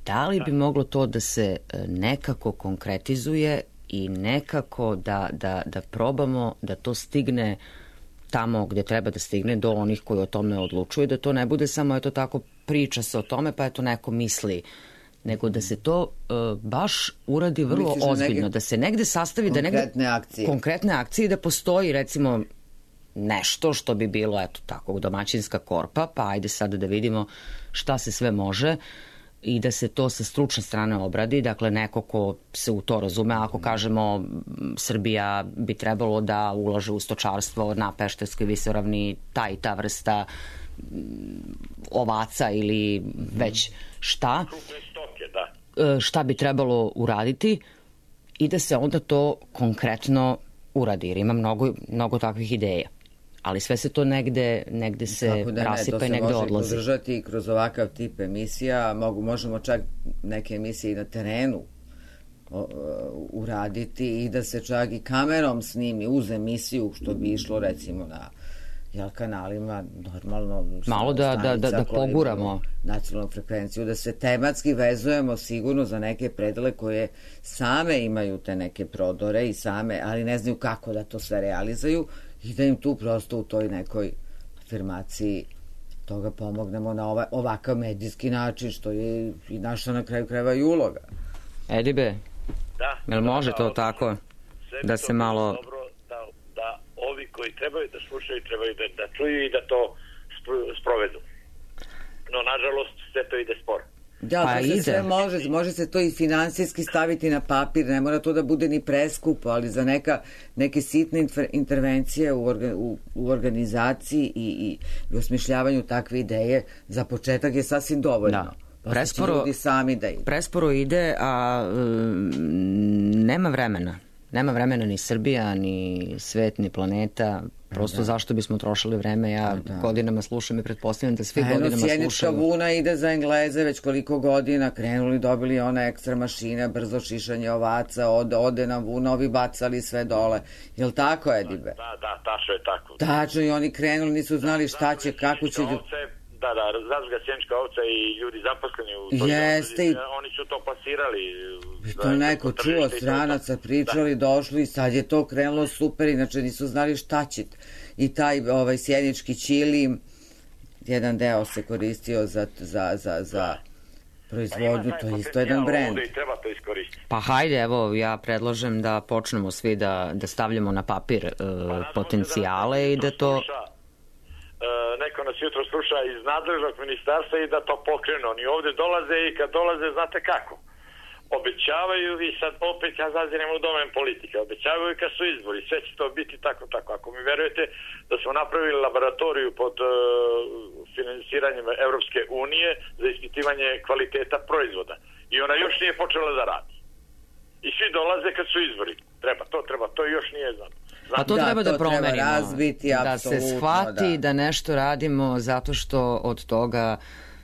da li bi moglo to da se nekako konkretizuje i nekako da, da, da probamo da to stigne tamo gde treba da stigne, do onih koji o tome odlučuju, da to ne bude samo eto tako priča se o tome pa eto neko misli, nego da se to uh, baš uradi vrlo Misliš ozbiljno, da se negde sastavi, da negde konkretne akcije. konkretne akcije, da postoji recimo nešto što bi bilo eto tako domaćinska korpa, pa ajde sada da vidimo šta se sve može i da se to sa stručne strane obradi, dakle neko ko se u to razume, ako kažemo Srbija bi trebalo da ulaže u stočarstvo na Pešterskoj visoravni, ta i ta vrsta ovaca ili već šta, šta bi trebalo uraditi i da se onda to konkretno uradi, jer ima mnogo, mnogo takvih ideja. Ali sve se to negde, negde se da rasipa i negde odlazi. To se može podržati kroz ovakav tip emisija, mogu, možemo čak neke emisije i na terenu o, uraditi i da se čak i kamerom snimi uz emisiju, što bi išlo recimo na jel, kanalima normalno malo da, da, da, da poguramo nacionalnu frekvenciju, da se tematski vezujemo sigurno za neke predele koje same imaju te neke prodore i same, ali ne znaju kako da to sve realizuju i da im tu prosto u toj nekoj afirmaciji toga pomognemo na ovaj, ovakav medijski način, što je i naša na kraju krajeva i uloga. Edibe, da, jel može da, to da, tako da se malo... Dobro, da, da ovi koji trebaju da slušaju, trebaju da, da čuju i da to sprovedu. No, nažalost, sve to ide sporo. Da, pa to se sve može, može se to i finansijski staviti na papir, ne mora to da bude ni preskupo, ali za neka, neke sitne intervencije u, orga, u, u organizaciji i, i, i osmišljavanju takve ideje, za početak je sasvim dovoljno. Da. Pa presporo, ljudi sami da ide. Presporo ide, a um, nema vremena. Nema vremena ni Srbija, ni svet, ni planeta. Prosto da. Zašto bismo trošili vreme? Ja da. godinama slušam i pretpostavljam da svi godinama slušaju. Sjenička vuna ide za Engleze već koliko godina. Krenuli, dobili one ekstra mašine, brzo šišanje ovaca, ode, ode nam vuna, ovi bacali sve dole. Jel tako, Edibe? Da, da, tačno je tako. Tačno, i oni krenuli, nisu znali šta će, kako će... Da, da, razga sjenička ovca i ljudi zaposleni u toj Jeste, i... oni su to plasirali. I to neko čuo, stranaca pričali, da. došli i sad je to krenulo super, inače nisu znali šta će. I taj ovaj, sjenički ćili, jedan deo se koristio za, za, za, za proizvodnju, to je isto jedan brend. I treba to iskoristiti. Pa hajde, evo, ja predlažem da počnemo svi da, da stavljamo na papir uh, pa, potencijale i da to... Sluša. Uh, neko nas jutro sluša iz nadležnog ministarstva i da to pokrenu. Oni ovde dolaze i kad dolaze, znate kako? Obećavaju i sad opet ja zazirem u domen politike. Obećavaju kad su izbori. Sve će to biti tako, tako. Ako mi verujete da smo napravili laboratoriju pod uh, finansiranjem Evropske unije za ispitivanje kvaliteta proizvoda. I ona još nije počela da radi. I svi dolaze kad su izbori. Treba to, treba to i još nije znam. Pa to da, treba da to promenimo, treba razbiti, da se shvati da. da nešto radimo zato što od toga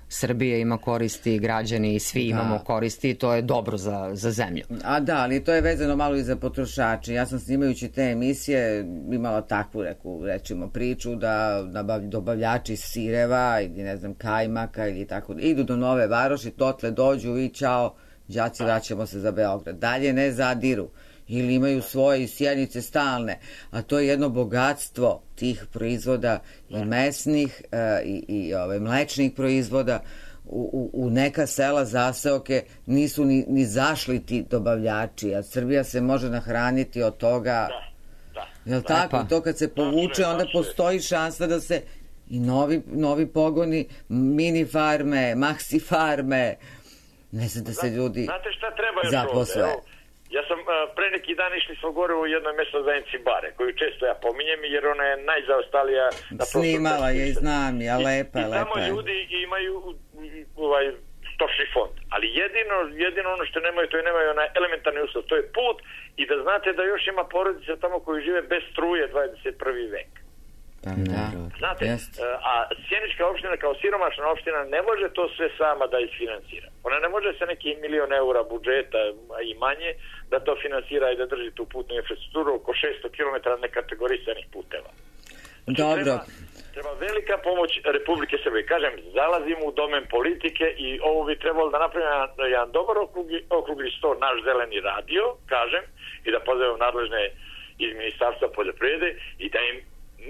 Srbija ima koristi, građani i svi da. imamo koristi i to je dobro za, za zemlju. A da, ali to je vezano malo i za potrošače. Ja sam snimajući te emisije imala takvu reku, rečimo, priču da dobavljači sireva ili ne znam kajmaka ili tako, idu do Nove Varoši, totle dođu i čao, đaci, vraćamo se za Beograd. Dalje ne zadiru. Ili imaju svoje sjenice stalne, a to je jedno bogatstvo tih proizvoda i mesnih e, i, i ove, mlečnih proizvoda. U, u, u neka sela zaseoke nisu ni, ni zašli ti dobavljači, a Srbija se može nahraniti od toga. Da, da. Jel tako? To kad se povuče, onda postoji šansa da se i novi, novi pogoni, mini farme, maxi farme, ne znam da se ljudi Znate šta treba još zaposle. Ovde? Ja sam uh, pre neki dan išli smo gore u jednoj mesnoj zajednici Bare, koju često ja pominjem jer ona je najzaostalija na prostoru. Snimala je i znam, ja lepa, I, lepa. I tamo ljudi imaju ovaj stočni fond, ali jedino, jedino ono što nemaju, to je nemaju onaj elementarni uslov, to je put i da znate da još ima porodica tamo koji žive bez struje dvadeset prvi vek. Da, znate, jest. A sjenička opština kao siromašna opština ne može to sve sama da isfinansira. Ona ne može sa neki milion eura budžeta i manje da to finansira i da drži tu putnu infrastrukturu oko šesto kilometara nekategorisanih puteva. Dobro, Treba velika pomoć Republike Srbije. Kažem, zalazimo u domen politike i ovo bi trebalo da napravimo jedan dobar okrugli, okrugli sto, naš zeleni radio, kažem, i da pozovemo nadležne iz Ministarstva poljoprivrede i da im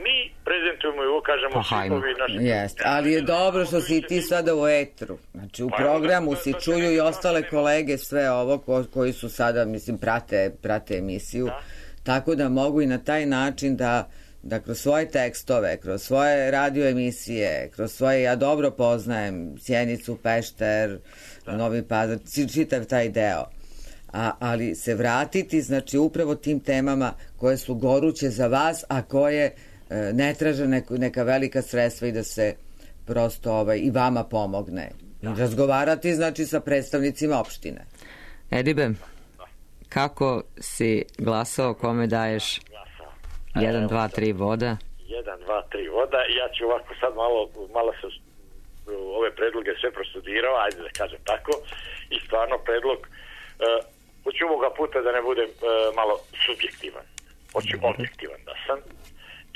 mi prezentujemo i ukažemo slipovi naše... Jest, ali je dobro što si ti sada u etru. Znači, u programu si čuju i ostale kolege sve ovo ko, koji su sada, mislim, prate, prate emisiju, da. Tako da mogu i na taj način da da kroz svoje tekstove, kroz svoje radio emisije, kroz svoje, ja dobro poznajem Sjenicu, Pešter, da. Novi Pazar, čitav taj deo. A, ali se vratiti, znači, upravo tim temama koje su goruće za vas, a koje e, ne traže neko, neka velika sredstva i da se prosto ovaj, i vama pomogne. Da. I razgovarati, znači, sa predstavnicima opštine. Edibe, kako si glasao, kome daješ jedan, dva, tri voda? jedan, dva, tri voda. Ja ću ovako sad malo, malo sam ove predloge sve prostudirao, ajde da kažem tako, i stvarno predlog, uh, hoću ovoga puta da ne budem uh, malo subjektivan, hoću Dobre. objektivan da sam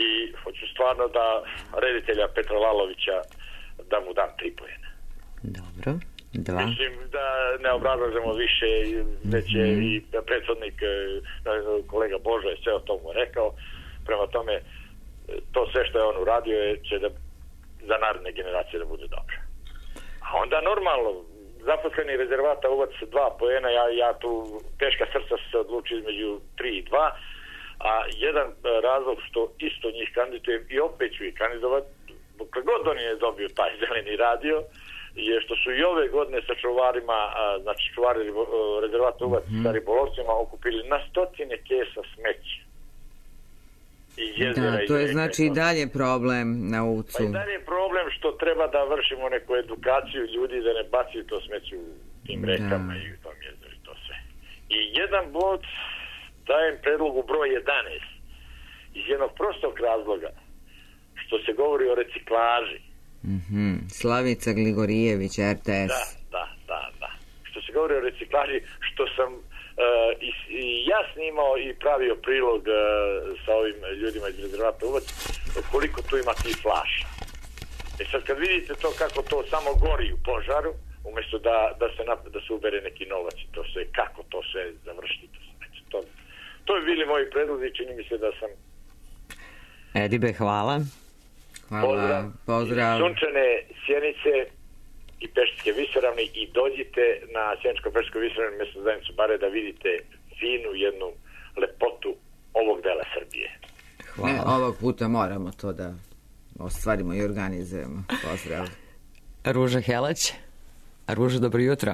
i hoću stvarno da reditelja Petra Lalovića da mu dam tri poena. Dobro, dva. Mislim da ne obrazlažemo više, već je mm-hmm. i predsjednik kolega Božo je sve o tomu rekao. Prema tome, to sve što je on uradio je, će da, za naredne generacije da bude dobro. A onda normalno, zaposleni rezervata uvac dva poena, ja, ja tu teška srca se odluči između tri i dva, a jedan razlog što isto njih kandidujem i opet ću ih kandidovati, dokle god on je dobio taj zeleni radio, je što su i ove godine sa čuvarima, znači čuvari rezervata uvac mm-hmm. sa ribolovcima okupili na stotine kesa smeća. Da, to je znači i dalje problem na Ucu. Pa i dalje je problem što treba da vršimo neku edukaciju ljudi da ne baciju to smeće u tim rekama da. I u tom jezeru i to sve. I jedan bod dajem predlogu broj jedanaest iz jednog prostog razloga što se govori o reciklaži. Mm-hmm. Slavica Gligorijević, R T S. Da, da, da, da. Što se govori o reciklaži, što sam Uh, i, i ja snimao i pravio prilog uh, sa ovim ljudima iz rezervata Uvac koliko tu ima tih flaša. E sad kad vidite to kako to samo gori u požaru umjesto da, da, se, da se ubere neki novac i to sve, kako to sve završiti to, to, to bi bili moji predlozi, čini mi se da sam Edibe, hvala. Hvala, pozdrav, pozdrav. Sunčane Sjenice i Pešterske visoravni i dođite na Sjeničko-Pešterskoj visoravni mjesnu zajednicu bare da vidite finu jednu lepotu ovog dela Srbije. Hvala. Ne, ovog puta moramo to da ostvarimo i organizujemo. Pozdrav. Ruža Helać. Ruža, dobro jutro.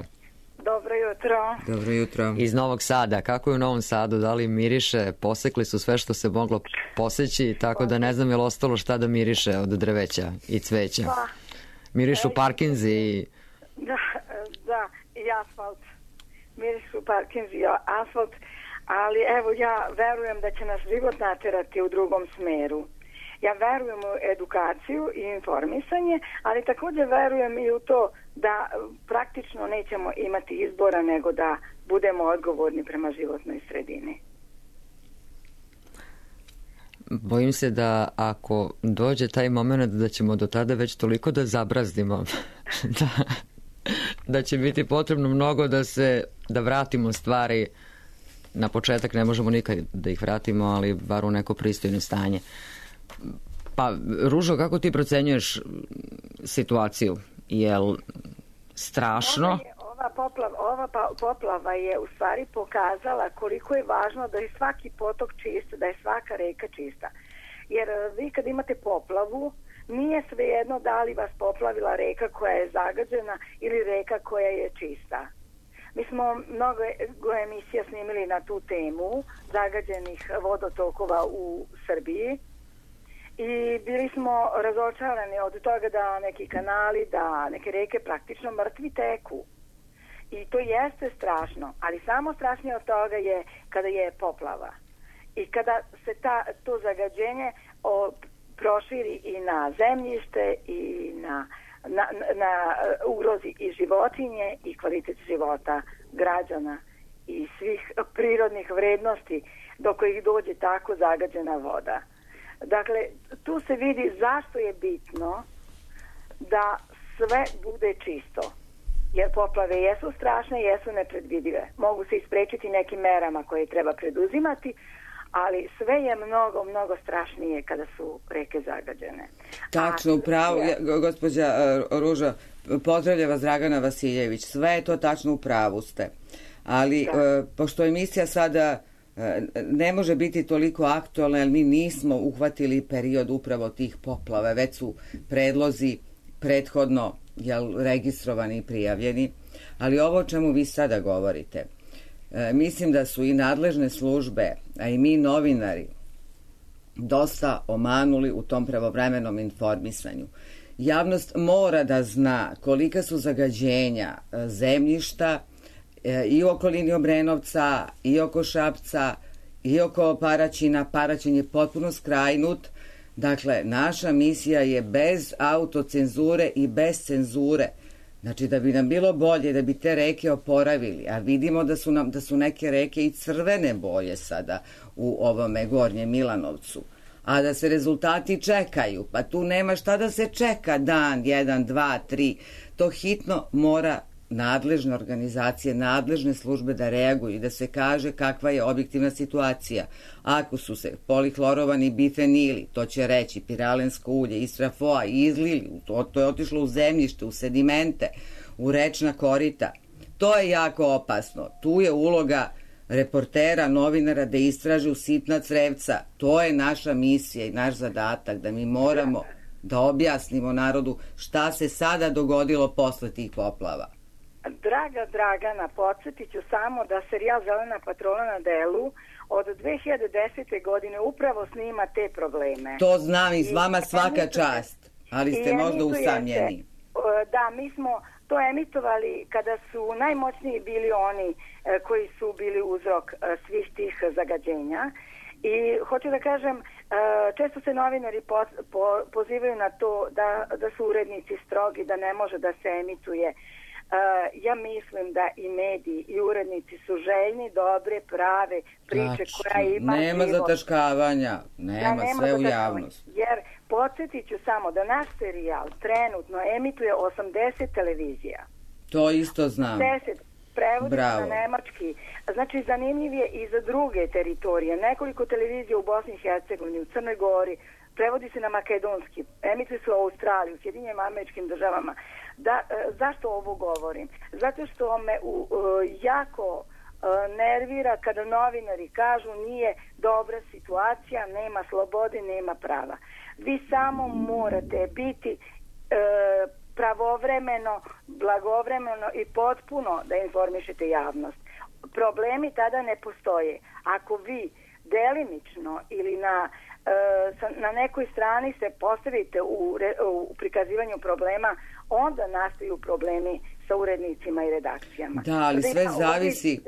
Dobro jutro. Dobro jutro. Iz Novog Sada. Kako je u Novom Sadu? Da li miriše? Posekli su sve što se moglo poseći, tako da ne znam je li ostalo šta da miriše od drveća i cveća. Pa. Mirišu parkinzi i... Da, da, i asfalt. Mirišu parkinzi i asfalt, ali evo ja verujem da će nas život naterati u drugom smeru. Ja verujem u edukaciju i informisanje, ali također verujem i u to da praktično nećemo imati izbora nego da budemo odgovorni prema životnoj sredini. Bojim se da ako dođe taj moment da ćemo do tada već toliko da zabrazdimo da, da će biti potrebno mnogo da se da vratimo stvari na početak. Ne možemo nikad da ih vratimo, ali bar u neko pristojno stanje. Pa, Ružo, kako ti procenjuješ situaciju? Jel strašno? Ova, je, ova, poplava, ova pa, poplava je u stvari pokazala koliko je važno da je svaki potok čist, da je svaka reka čista. Jer vi kad imate poplavu, nije svejedno da li vas poplavila reka koja je zagađena ili reka koja je čista. Mi smo mnogo emisija snimili na tu temu zagađenih vodotokova u Srbiji. I bili smo razočarani od toga da neki kanali, da neke reke praktično mrtvi teku. I to jeste strašno, ali samo strašnije od toga je kada je poplava. I kada se ta, to zagađenje o, proširi i na zemljište i na, na, na ugrozi i životinje i kvalitet života građana i svih prirodnih vrednosti do kojih dođe tako zagađena voda. Dakle, tu se vidi zašto je bitno da sve bude čisto. Jer poplave jesu strašne, jesu nepredvidive. Mogu se isprečiti nekim merama koje treba preduzimati, ali sve je mnogo, mnogo strašnije kada su reke zagađene. Tačno, upravo, A, gospođa Ruža, pozdravlja vas Dragana Vasiljević, sve je to tačno, upravu ste. Ali, da. pošto emisija sada ne može biti toliko aktualna, jer mi nismo uhvatili period upravo tih poplava, već su predlozi prethodno jel, registrovani i prijavljeni, ali ovo o čemu vi sada govorite, e, mislim da su i nadležne službe, a i mi novinari dosta omanuli u tom pravovremenom informisanju. Javnost mora da zna kolika su zagađenja zemljišta e, i u okolini Obrenovca, i oko Šapca, i oko Paraćina. Paraćin je potpuno skrajnut. Dakle, naša misija je bez autocenzure i bez cenzure. Znači, da bi nam bilo bolje, da bi te reke oporavili, a vidimo da su, nam, da su neke reke i crvene boje sada u ovome Gornjem Milanovcu, a da se rezultati čekaju, pa tu nema šta da se čeka dan, jedan, dva, tri. To hitno mora nadležne organizacije, nadležne službe da reaguju i da se kaže kakva je objektivna situacija. Ako su se polihlorovani bifenili, to će reći piralensko ulje, istrafoa, izlili, to, to je otišlo u zemljište, u sedimente, u rečna korita. To je jako opasno. Tu je uloga reportera, novinara da istražu sitna crevca. To je naša misija i naš zadatak, da mi moramo da objasnimo narodu šta se sada dogodilo posle tih poplava. Draga Dragana, podsjetit ću samo da serijal Zelena patrola na delu od dve hiljade desete. godine upravo snima te probleme. To znam i s vama svaka čast, ali ste možda usamljeni. Da, mi smo to emitovali kada su najmoćniji bili oni koji su bili uzrok svih tih zagađenja. I hoću da kažem, često se novinari pozivaju na to da, da su urednici strogi, da ne može da se emituje. Uh, ja mislim da i mediji i urednici su željni dobre, prave priče Tačno. koja ima nema život. Zataškavanja, nema, da, nema sve u javnost. Jer podsjetit ću samo da naš serijal trenutno emituje osamdeset televizija. To isto znam. deset prevodi na nemački. Znači, zanimljiv je i za druge teritorije. Nekoliko televizija u Bosni i Hercegovini, u Crnoj Gori, prevodi se na makedonski, emituje se u Australiji, u Sjedinjenim Američkim Državama. Da, e, zašto ovo govorim? Zato što me u, e, jako e, nervira kada novinari kažu nije dobra situacija, nema slobode, nema prava. Vi samo morate biti e, pravovremeno, blagovremeno i potpuno da informišete javnost. Problemi tada ne postoje. Ako vi delimično ili na na nekoj strani se postavite u, u prikazivanju problema, onda nastaju problemi sa urednicima i redakcijama. Da, ali sve zavisi,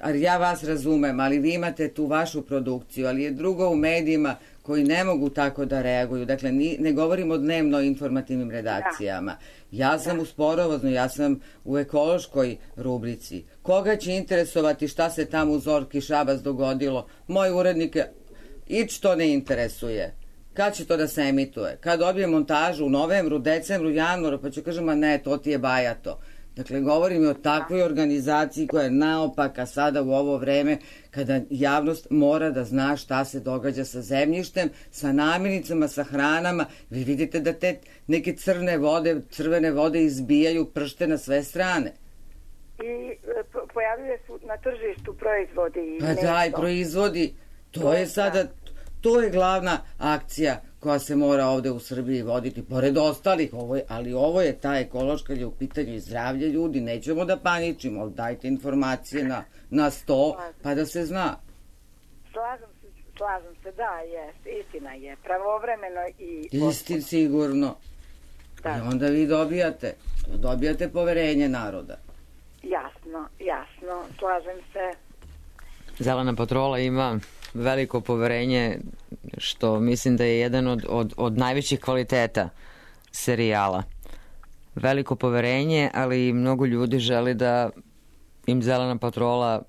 ali ja vas razumem, ali vi imate tu vašu produkciju, ali je drugo u medijima koji ne mogu tako da reaguju. Dakle, ni, ne govorimo o dnevno informativnim redakcijama. Da. Ja sam da. u sporovoznoj, ja sam u ekološkoj rubrici. Koga će interesovati šta se tamo u Zorki Šabac dogodilo? Moj urednik je ić to ne interesuje. Kad će to da se emituje? Kad dobije montažu u novembru, decembru, januaru, pa ću kažem, a ne, to ti je bajato. Dakle, govorim i o takvoj organizaciji koja je naopaka sada u ovo vreme kada javnost mora da zna šta se događa sa zemljištem, sa namirnicama, sa hranama. Vi vidite da te neke crne vode, crvene vode izbijaju, pršte na sve strane. I pojavljuje su na tržištu proizvodi. Pa daj, proizvodi. To je sada, to je glavna akcija koja se mora ovde u Srbiji voditi, pored ostalih, ovo je, ali ovo je ta ekološka, je u pitanju i zdravlje ljudi, nećemo da paničimo, dajte informacije na, na sto, pa da se zna. Slažem se, slažem se, da, jest, istina je, pravovremeno i... Istin sigurno. Da. I onda vi dobijate, dobijate poverenje naroda. Jasno, jasno, slažem se. Zelena patrola ima veliko poverenje, što mislim da je jedan od, od, od najvećih kvaliteta serijala. Veliko poverenje, ali mnogo ljudi želi da im Zelena patrola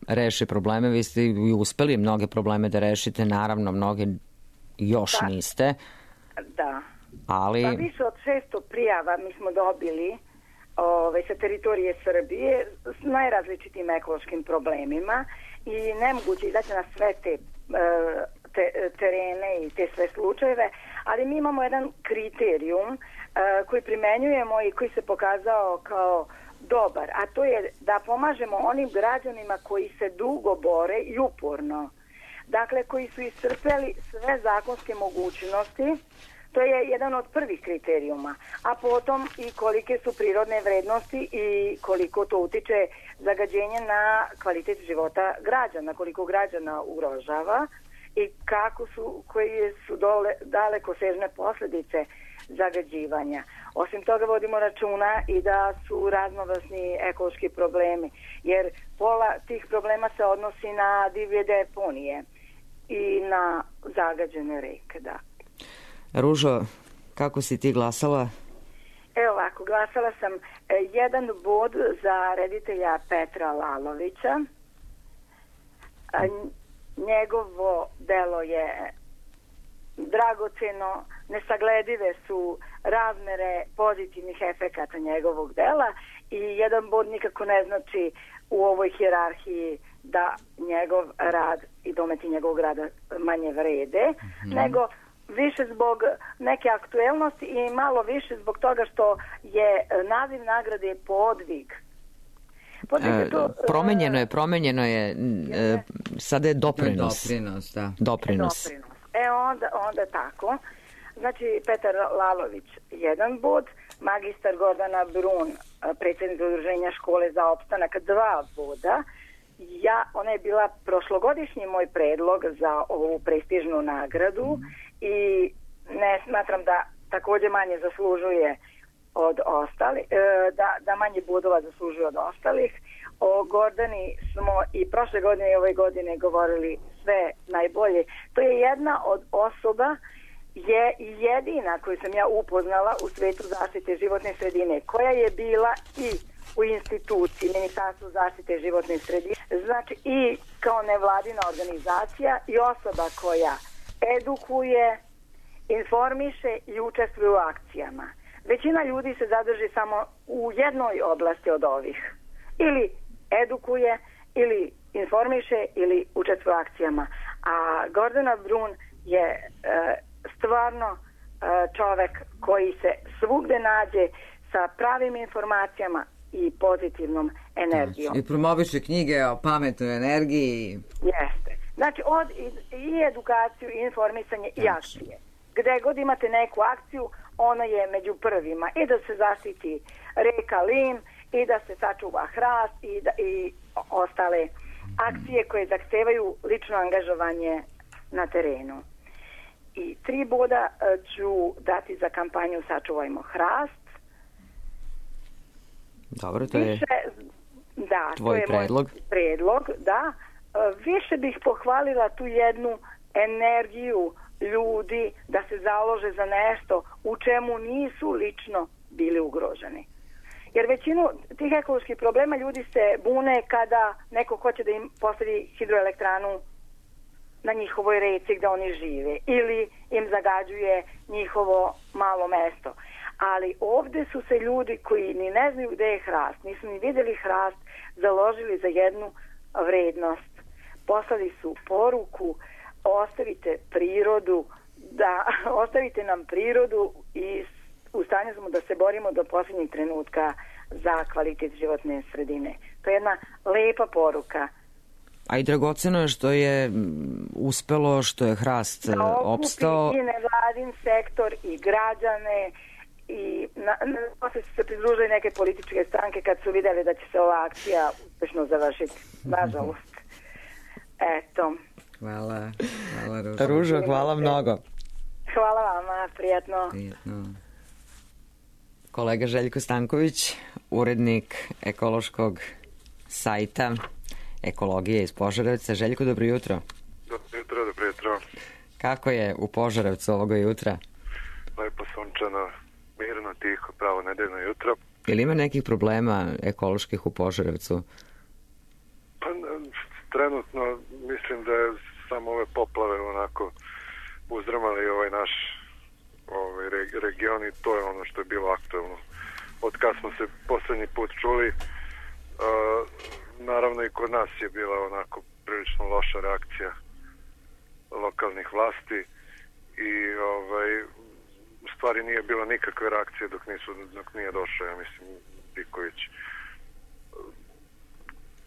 reši probleme. Vi ste i uspeli mnoge probleme da rešite, naravno mnoge još Da. niste, Da. ali... Pa više od šesto prijava mi smo dobili ove, sa teritorije Srbije s najrazličitim ekološkim problemima i nemoguće izaći na sve te, te terene i te sve slučajeve, ali mi imamo jedan kriterijum koji primenjujemo i koji se pokazao kao dobar, a to je da pomažemo onim građanima koji se dugo bore i uporno. Dakle, koji su iscrpeli sve zakonske mogućnosti. To je jedan od prvih kriterijuma, a potom i kolike su prirodne vrednosti i koliko to utiče zagađenje na kvalitet života građana, koliko građana ugrožava i kako su, koje su dole, dalekosežne posledice zagađivanja. Osim toga vodimo računa i da su raznovrsni ekološki problemi, jer pola tih problema se odnosi na divlje deponije i na zagađene reke, da. Ružo, kako si ti glasala? Evo ovako, glasala sam e, jedan bod za reditelja Petra Lalovića. A, njegovo delo je dragoceno, nesagledive su razmere pozitivnih efekata njegovog dela i jedan bod nikako ne znači u ovoj hijerarhiji da njegov rad i dometi njegovog rada manje vrede, mm-hmm. nego više zbog neke aktuelnosti i malo više zbog toga što je naziv nagrade podvig. podvig e, to, promenjeno je, promenjeno je, e, sada je doprinos. Doprinos, da. Doprinos. doprinos. E onda, onda tako. Znači, Petar Lalović jedan bod, magistar Gordana Brun, predsjednica udruženja škole za opstanak, dva boda. Ja, ona je bila prošlogodišnji moj predlog za ovu prestižnu nagradu mm. i ne smatram da također manje zaslužuje od ostalih, da, da manje bodova zaslužuje od ostalih. O Gordani smo i prošle godine i ove godine govorili sve najbolje. To je jedna od osoba, je jedina koju sam ja upoznala u svetu zaštite životne sredine, koja je bila i u instituciji Ministarstva zaštite životne sredine, znači i kao nevladina organizacija i osoba koja edukuje, informiše i učestvuje u akcijama. Većina ljudi se zadrži samo u jednoj oblasti od ovih. Ili edukuje, ili informiše, ili učestvuje u akcijama. A Gordana Brun je e, stvarno e, čovek koji se svugde nađe sa pravim informacijama i pozitivnom energijom. I promoviše knjige o pametnoj energiji. Jeste. Znači, od, i, i edukaciju, i informisanje, i akcije. Gde god imate neku akciju, ona je među prvima. I da se zaštiti reka Lim, i da se sačuva hrast, i, da, i ostale akcije koje zahtevaju lično angažovanje na terenu. I tri boda ću dati za kampanju Sačuvajmo hrast. Dobro, to je Više, da, tvoj to je predlog. Moj predlog, da. Više bih pohvalila tu jednu energiju ljudi da se založe za nešto u čemu nisu lično bili ugroženi. Jer većinu tih ekoloških problema ljudi se bune kada neko hoće da im postavi hidroelektranu na njihovoj reci gde oni žive ili im zagađuje njihovo malo mesto. Ali ovde su se ljudi koji ni ne znaju gde je hrast, nisu ni vidjeli hrast, založili za jednu vrednost. Poslali su poruku: ostavite prirodu, da ostavite nam prirodu i u stanju smo da se borimo do posljednjeg trenutka za kvalitet životne sredine. To je jedna lepa poruka. A i dragoceno je što je uspelo, što je hrast da opstao. I nevladin sektor i građane i na, na, posle su se pridružili neke političke stranke kad su vidjeli da će se ova akcija uspešno završiti. Nažalost. Eto. Hvala. Hvala Ružo. Ružo, hvala mnogo. Hvala vama, prijatno. Prijatno. Kolega Željko Stanković, urednik ekološkog sajta Ekologije iz Požarevca. Željko, dobro jutro. Dobro jutro, dobro jutro. Kako je u Požarevcu ovoga jutra? Lepo sunčano, mirno, tiho, pravo nedeljno jutro. Ili ima nekih problema ekoloških u Požarevcu? Pa trenutno mislim da je samo ove poplave onako uzdrmali ovaj naš ovaj, region i to je ono što je bilo aktuelno. Od kad smo se poslednji put čuli, uh, naravno i kod nas je bila onako prilično loša reakcija lokalnih vlasti i ovaj, u stvari nije bilo nikakve reakcije dok, nisu, dok nije došao, ja mislim, Diković.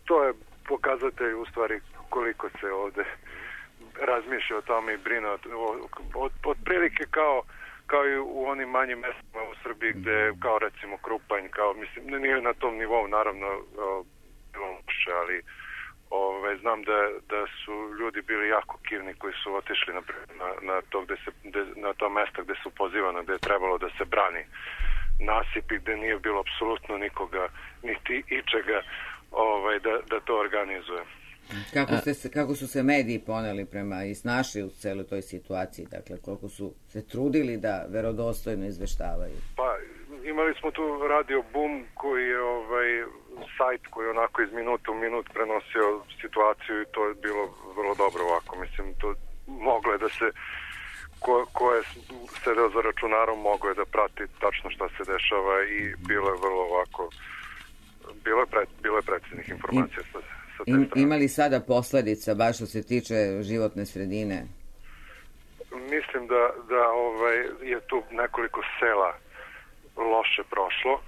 To je pokazatelj u stvari koliko se ovde razmišlja o tome i brine od, od, od prilike kao kao i u onim manjim mestima u Srbiji gde kao recimo Krupanj, kao mislim, nije na tom nivou naravno bilo loše, ali ove, znam da, da su ljudi bili jako kivni koji su otišli na, na, na, to, gde se, gde, na to mesto gde su pozivano, gde je trebalo da se brani nasip i gde nije bilo apsolutno nikoga, niti ičega ovaj, da, da to organizuje. Kako, ste se, kako su se mediji poneli prema i snašli u celoj toj situaciji, dakle koliko su se trudili da verodostojno izveštavaju? Pa imali smo tu Radio Boom koji je ovaj, sajt koji je onako iz minuta u minut prenosio situaciju i to je bilo vrlo dobro ovako, mislim to moglo je da se ko, ko je sedeo za računarom moglo je da prati tačno šta se dešava i bilo je vrlo ovako bilo je, pre, bilo je preciznih informacija sa Im, ima li sada posledica baš što se tiče životne sredine? Mislim da, da ovaj, je tu nekoliko sela loše prošlo,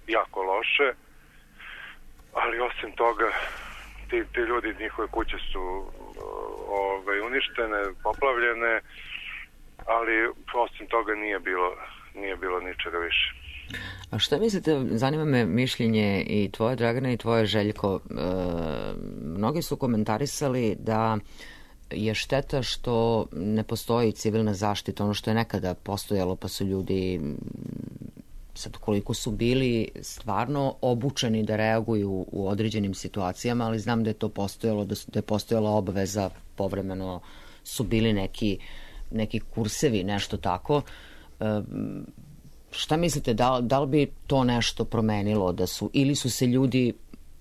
jako loše, ali osim toga ti, ti ljudi, njihove kuće su ovaj, uništene, poplavljene, ali osim toga nije bilo, nije bilo ničega više. A šta mislite, zanima me mišljenje i tvoje, Dragana, i tvoje, Željko. E, mnogi su komentarisali da je šteta što ne postoji civilna zaštita, ono što je nekada postojalo, pa su ljudi, sad koliko su bili stvarno obučeni da reaguju u određenim situacijama, ali znam da je to postojalo, da, su, da je postojala obaveza, povremeno su bili neki, neki kursevi, nešto tako. E, Šta mislite, da, da li bi to nešto promenilo, da su, ili su se ljudi,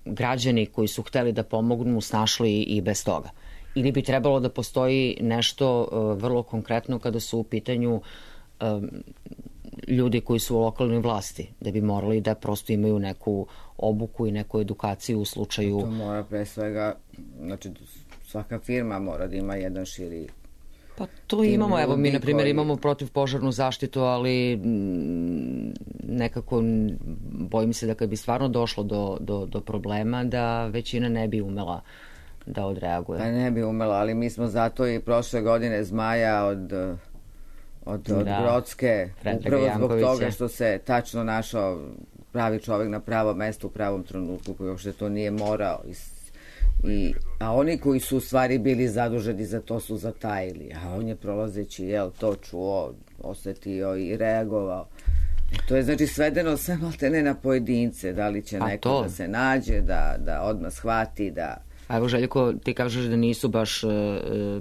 građani koji su hteli da pomognu, snašli i bez toga? Ili bi trebalo da postoji nešto uh, vrlo konkretno kada su u pitanju um, ljudi koji su u lokalnoj vlasti, da bi morali da prosto imaju neku obuku i neku edukaciju u slučaju... To mora pre svega, znači svaka firma mora da ima jedan širi... Pa to imamo, evo mi na primjer imamo protivpožarnu zaštitu, ali nekako bojim se da kad bi stvarno došlo do, do, do problema da većina ne bi umela da odreaguje. Pa ne bi umela, ali mi smo zato i prošle godine Zmaja od, od, od da, Brodske, upravo zbog toga što se tačno našao pravi čovjek na pravom mestu u pravom trenutku koji uopšte to nije morao. I, a oni koji su u stvari bili zaduženi za to su zatajili, a on je prolazeći jel, to čuo, osetio i reagovao. To je znači svedeno sve maltene na pojedince, da li će a neko to? Da se nađe, da, da odmah shvati, da... A evo Željko, ti kažeš da nisu baš e,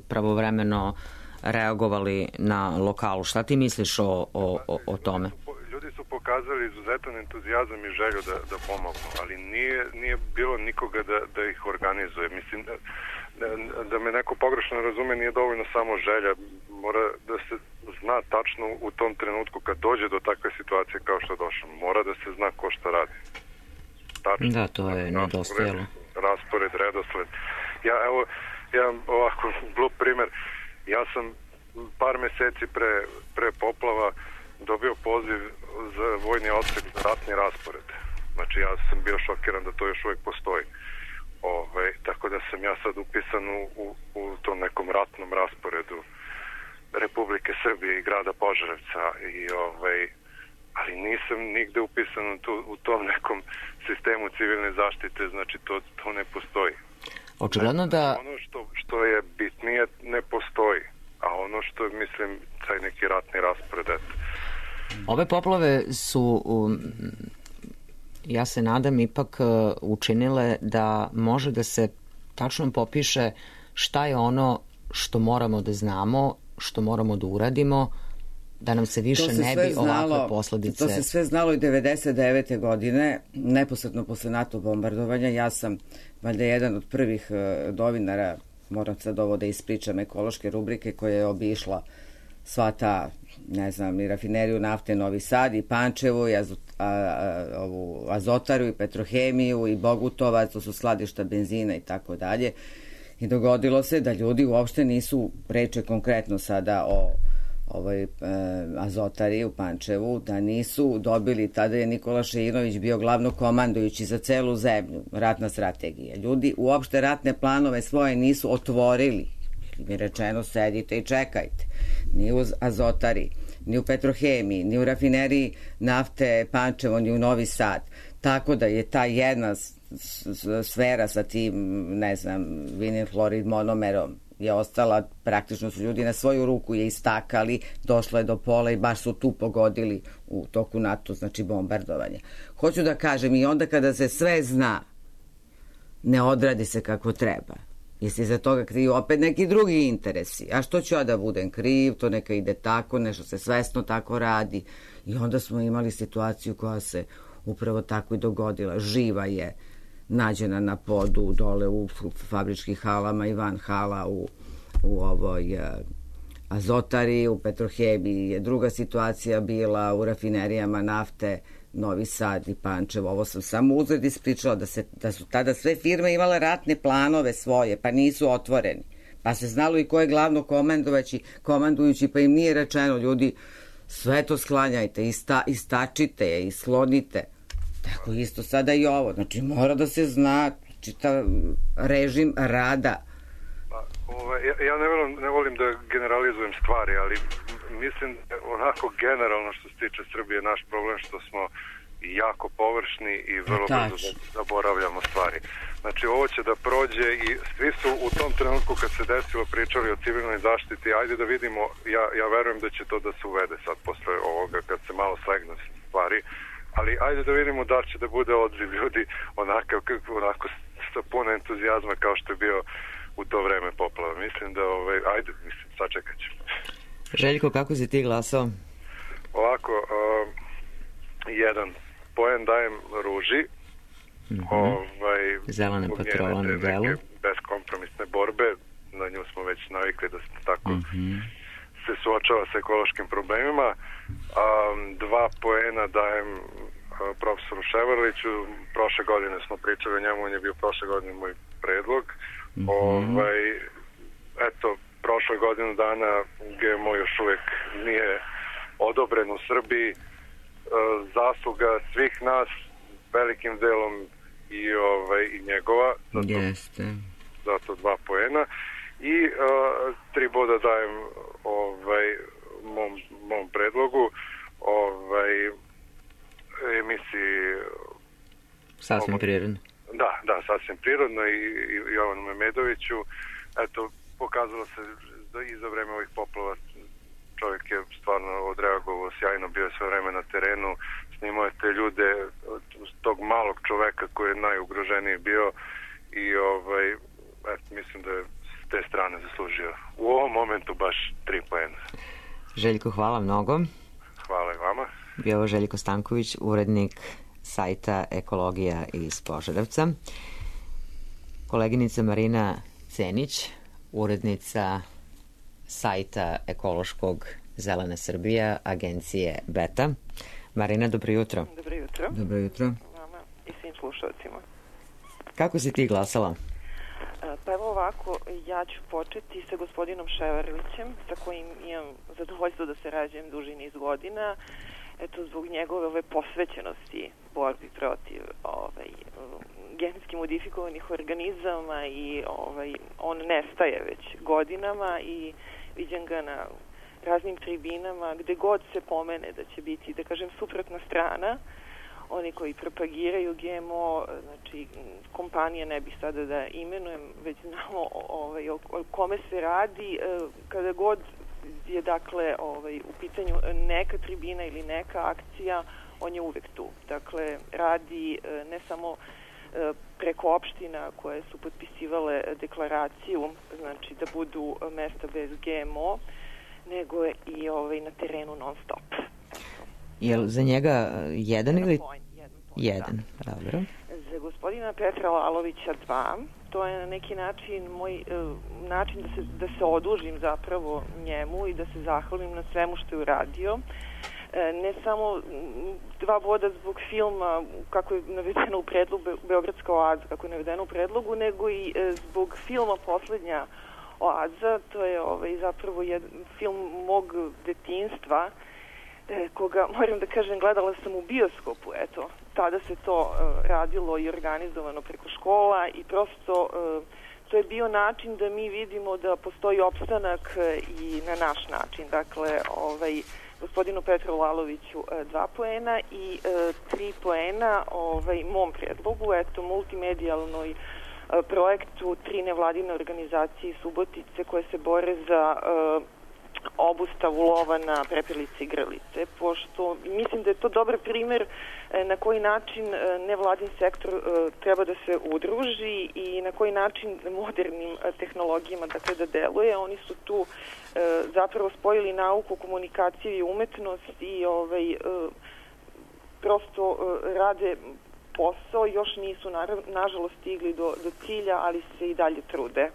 pravovremeno reagovali na lokalu. Šta ti misliš o, o, o, o tome? Ljudi su pokazali izuzetan entuzijazam i želju da, da pomognu, ali nije, nije bilo nikoga da, da ih organizuje. Mislim, da, da, da me neko pogrešno razume, nije dovoljno samo želja. Mora da se zna tačno u tom trenutku kad dođe do takve situacije kao što je došlo. Mora da se zna ko šta radi. Tačno. Da, to je nedostajalo. Raspored, redosled. Ja, evo, ja ovako glup primer. Ja sam par meseci pre, pre poplava dobio poziv za vojni odsek za ratni raspored. Znači ja sam bio šokiran da to još uvijek postoji. Ove, tako da sam ja sad upisan u, u, u tom nekom ratnom rasporedu Republike Srbije i grada Požarevca i ovaj, ali nisam nigde upisan u, tu, u tom nekom sistemu civilne zaštite, znači to, to ne postoji. Očigledno da... Ono što, što je bitnije ne postoji, a ono što mislim taj neki ratni raspored, eto. Ove poplave su, um, ja se nadam, ipak uh, učinile da može da se tačno popiše šta je ono što moramo da znamo, što moramo da uradimo, da nam se više se ne bi znalo, ovakve posledice... To se sve znalo i devedeset devete godine, neposredno posle NATO bombardovanja. Ja sam valjda jedan od prvih uh, novinara moram sad ovo da ispričam, ekološke rubrike koja je obišla sva ta, ne znam, i rafineriju nafte Novi Sad i Pančevo i azot, a, a, ovu Azotaru i Petrohemiju i Bogutovac, to su skladišta benzina i tako dalje. I dogodilo se da ljudi uopšte nisu, reče konkretno sada o ovoj e, Azotari u Pančevu, da nisu dobili, tada je Nikola Šeinović bio glavno komandujući za celu zemlju, ratna strategija. Ljudi uopšte ratne planove svoje nisu otvorili. Mi je rečeno, sedite i čekajte. Ni u Azotari, ni u Petrohemiji, ni u rafineriji nafte Pančevo, ni u Novi Sad. Tako da je ta jedna sfera sa tim, ne znam, vinil florid monomerom je ostala, praktično su ljudi na svoju ruku je istakali, došlo je do pola i baš su tu pogodili u toku NATO, znači bombardovanja. Hoću da kažem, i onda kada se sve zna, ne odradi se kako treba. Jesi za toga kriju opet neki drugi interesi. A što ću ja da budem kriv, to neka ide tako, nešto se svesno tako radi. I onda smo imali situaciju koja se upravo tako i dogodila. Živa je nađena na podu dole u fabričkih halama i van hala u, u ovoj uh, Azotari, u Petrohemiji je druga situacija bila, u rafinerijama nafte Novi Sad i Pančevo. Ovo sam samo uzred ispričala da, se, da su tada sve firme imale ratne planove svoje, pa nisu otvoreni. Pa se znalo i ko je glavno komandovaći, komandujući, pa im nije rečeno, ljudi, sve to sklanjajte, ista, istačite je, islonite. Tako isto sada i ovo. Znači, mora da se zna čitav režim rada. Pa, ove, ja, ja ne, volim, ne volim da generalizujem stvari, ali mislim onako generalno što se tiče Srbije naš problem što smo jako površni i vrlo brzo zaboravljamo stvari. Znači, ovo će da prođe i svi su u tom trenutku kad se desilo pričali o civilnoj zaštiti, ajde da vidimo, ja, ja verujem da će to da se uvede sad posle ovoga kad se malo slegnu stvari, ali ajde da vidimo da će da bude odziv ljudi onako, onako sa puno entuzijazma kao što je bio u to vreme poplava. Mislim da, ovaj, ajde, mislim, sačekat ćemo. Željko, kako si ti glasao? Ovako, uh, jedan poen dajem Ruži, mm-hmm. ovaj, zelene patrole na delu. Beskompromisne borbe, na nju smo već navikli da se tako mm-hmm. se suočava sa ekološkim problemima. Um, dva poena dajem uh, profesoru Ševarliću, prošle godine smo pričali o njemu, on je bio prošle godine moj predlog. Mm-hmm. Ovaj, eto, prošle godinu dana G M O još uvijek nije odobren u Srbiji. E, zasluga svih nas velikim delom i, ovaj, i njegova. Zato, Jeste. Zato dva poena. I e, tri boda dajem ovaj, mom, mom predlogu ovaj, emisiji Sasvim prirodno. Da, da, sasvim prirodno i, i Jovanu Memedoviću. Eto, pokazalo se da i za vreme ovih poplava čovjek je stvarno odreagovao sjajno, bio je sve vreme na terenu, snimao je te ljude, tog malog čoveka koji je najugroženiji bio i ovaj, eto, mislim da je s te strane zaslužio u ovom momentu baš tri poena. Željko, hvala mnogo. Hvala i vama. Bio ovo Željko Stanković, urednik sajta Ekologija iz Požarevca. Koleginica Marina Cenić, urednica sajta ekološkog Zelena Srbija, agencije Beta. Marina, dobro jutro. Dobro jutro. Dobro jutro. Vama i svim slušalcima. Kako si ti glasala? Pa evo ovako, ja ću početi sa gospodinom Ševarlićem, sa kojim imam zadovoljstvo da se rađujem duži niz godina. Eto, zbog njegove ove posvećenosti borbi protiv ovaj, genetski modifikovanih organizama i ovaj, on nestaje već godinama i vidim ga na raznim tribinama gde god se pomene da će biti, da kažem, suprotna strana. Oni koji propagiraju G M O, znači kompanije ne bih sada da imenujem, već znamo ovaj, o, o kome se radi, kada god je dakle ovaj, u pitanju neka tribina ili neka akcija, on je uvek tu. Dakle, radi ne samo preko opština koje su potpisivale deklaraciju, znači da budu mesta bez G M O, nego i ovaj, na terenu non stop. Je li za njega jedan ili... Point, jedan, point, jedan, da. dobro. Za gospodina Petra Lalovića dva. To je na neki način moj e, način da se, da se odužim zapravo njemu i da se zahvalim na svemu što je uradio. E, ne samo dva boda zbog filma, kako je navedeno u predlogu, Beogradska oaza, kako je navedeno u predlogu, nego i e, zbog filma Poslednja oaza. To je ovaj, zapravo jedan film mog detinjstva, e, koga, moram da kažem, gledala sam u bioskopu, eto. Tada se to uh, radilo i organizovano preko škola i prosto uh, to je bio način da mi vidimo da postoji opstanak uh, i na naš način. Dakle, ovaj, gospodinu Petru Laloviću uh, dva poena i uh, tri poena ovaj, mom predlogu, eto, multimedijalnoj uh, projektu tri nevladine organizacije iz Subotice koje se bore za uh, obustavu lova na prepelice i grlice, pošto mislim da je to dobar primer na koji način nevladin sektor treba da se udruži i na koji način modernim tehnologijama dakle, da deluje. Oni su tu zapravo spojili nauku, komunikaciju i umetnost i ovaj, prosto rade posao, još nisu nažalost stigli do, do cilja, ali se i dalje trude.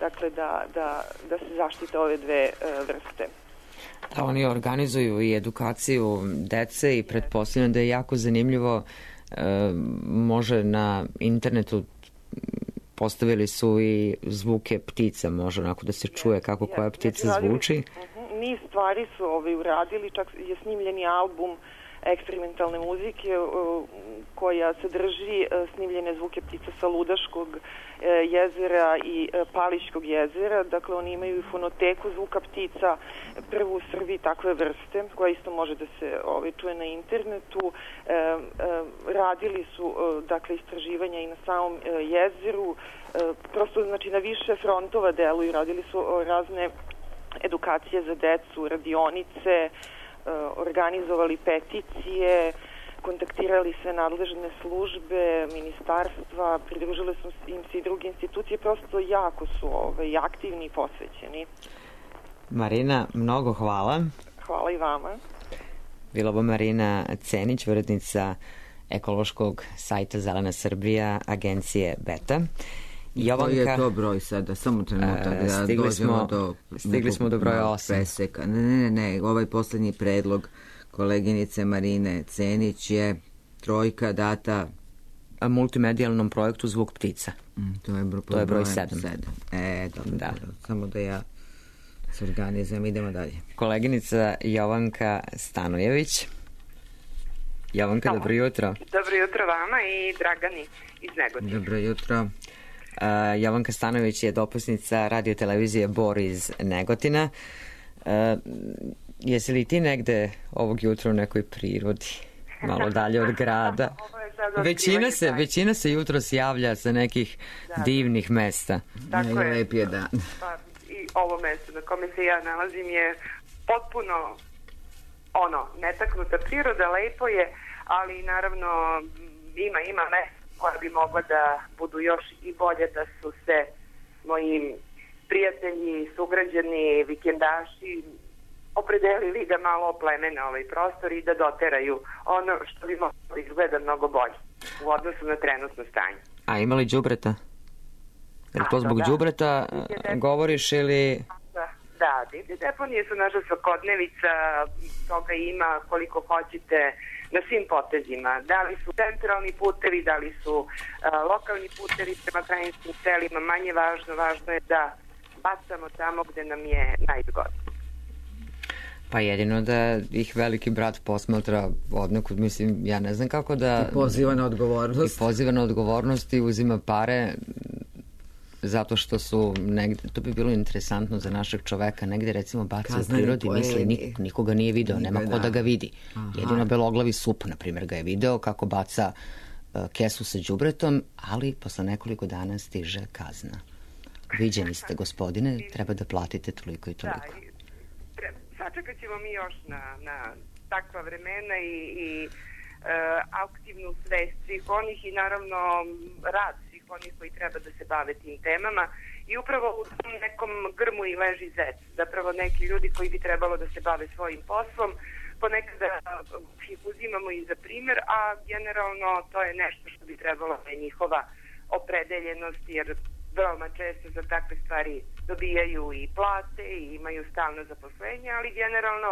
Dakle, da, da, da se zaštite ove dve e, vrste. Da, oni organizuju i edukaciju dece i pretpostavljam da je jako zanimljivo. E, može na internetu postavili su i zvuke ptica, može onako da se čuje kako koja ptica zvuči. Uh-huh. Niz stvari su ovaj, uradili, čak je snimljeni album eksperimentalne muzike uh, koja sadrži uh, snimljene zvuke ptica sa Ludaškog uh, jezera i uh, Palićkog jezera. Dakle, oni imaju fonoteku zvuka ptica, prvu u Srbiji takve vrste, koja isto može da se ovaj, čuje na internetu. Uh, uh, radili su uh, dakle, istraživanja i na samom uh, jezeru. Uh, prosto, znači, na više frontova deluju. Radili su uh, razne edukacije za decu, radionice, organizovali peticije, kontaktirali sve nadležne službe, ministarstva, pridružile su im se i druge institucije, prosto jako su ovaj, aktivni i posvećeni. Marina, mnogo hvala. Hvala i vama. Bila bo Marina Cenić, urednica ekološkog sajta Zelena Srbija, agencije Beta. Jovanka, koji je to broj sada? Samo trenutak da stigli dođemo smo, do... Stigli smo do broja osam. Preseka. Ne, ne, ne, ovaj poslednji predlog koleginice Marine Cenić je trojka data... A multimedijalnom projektu Zvuk ptica. Mm, to je, bro, to je broj sedam. E, dobro, da. dobro. Samo da ja se organizujem, idemo dalje. Koleginica Jovanka Stanojević. Jovanka, dobro jutro. Dobro jutro vama i Dragani iz Negotina. Dobro jutro. Uh, Jovanka Stanojević je dopusnica radio televizije Bor iz Negotina. Uh, jesi li ti negde ovog jutra u nekoj prirodi? Malo dalje od grada. Većina se, većina se jutros javlja sa nekih da, divnih mesta. Tako je. Lep je dan. Pa, i ovo mesto na kome se ja nalazim je potpuno ono, netaknuta priroda, lepo je, ali naravno ima, ima mesta koja bi mogla da budu još i bolje, da su se moji prijatelji, sugrađani, vikendaši opredelili da malo oplemene ovaj prostor i da doteraju ono što bi moglo izgleda mnogo bolje u odnosu na trenutno stanje. A ima li đubreta? Je li to zbog đubreta govoriš ili... Da, da, divlje deponije su naša svakodnevica, toga ima koliko hoćete na svim potezima. Da li su centralni putevi, da li su uh, lokalni putevi prema krajinskim selima, manje važno, važno je da bacamo tamo gde nam je najzgodnije. Pa jedino da ih veliki brat posmatra odnekud, mislim, ja ne znam kako da... I poziva na odgovornost. I poziva na odgovornost i uzima pare zato što su negde, to bi bilo interesantno za našeg čoveka, negde recimo baca u prirodi, misli, nik, nikoga nije video, nema ko da ga vidi. Aha. Jedino beloglavi sup, na primjer, ga je video kako baca uh, kesu sa đubretom, ali posle nekoliko dana stiže kazna. Viđeni ste, gospodine, treba da platite toliko i toliko. Da, sačekat ćemo mi još na, na takva vremena i, i uh, aktivnu svest svih onih i naravno rad svih onih koji treba da se bave tim temama i upravo u tom nekom grmu i leži zec. Zapravo neki ljudi koji bi trebalo da se bave svojim poslom ponekada ih uzimamo i za primjer, a generalno to je nešto što bi trebalo da je njihova opredeljenost, jer veoma često za takve stvari dobijaju i plate i imaju stalno zaposlenje, ali generalno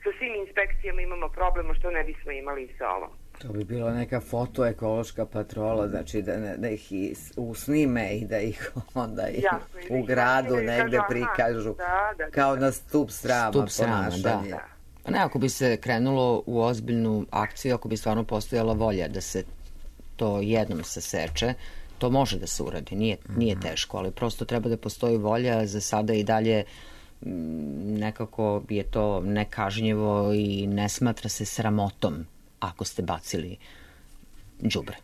sa svim inspekcijama imamo problem što ne bismo imali i sa ovom. To bi bilo neka fotoekološka patrola, znači da, ne, da ih i usnime i da ih onda i Jasno, u gradu i negde kažu, prikažu da, da, kao da. na stup srama Stup srama, ponašanje. da. Pa ne, ako bi se krenulo u ozbiljnu akciju, ako bi stvarno postojala volja da se to jednom saseče, to može da se uradi, nije, nije teško, ali prosto treba da postoji volja. Za sada i dalje nekako je to nekažnjivo i ne smatra se sramotom ako ste bacili đubre.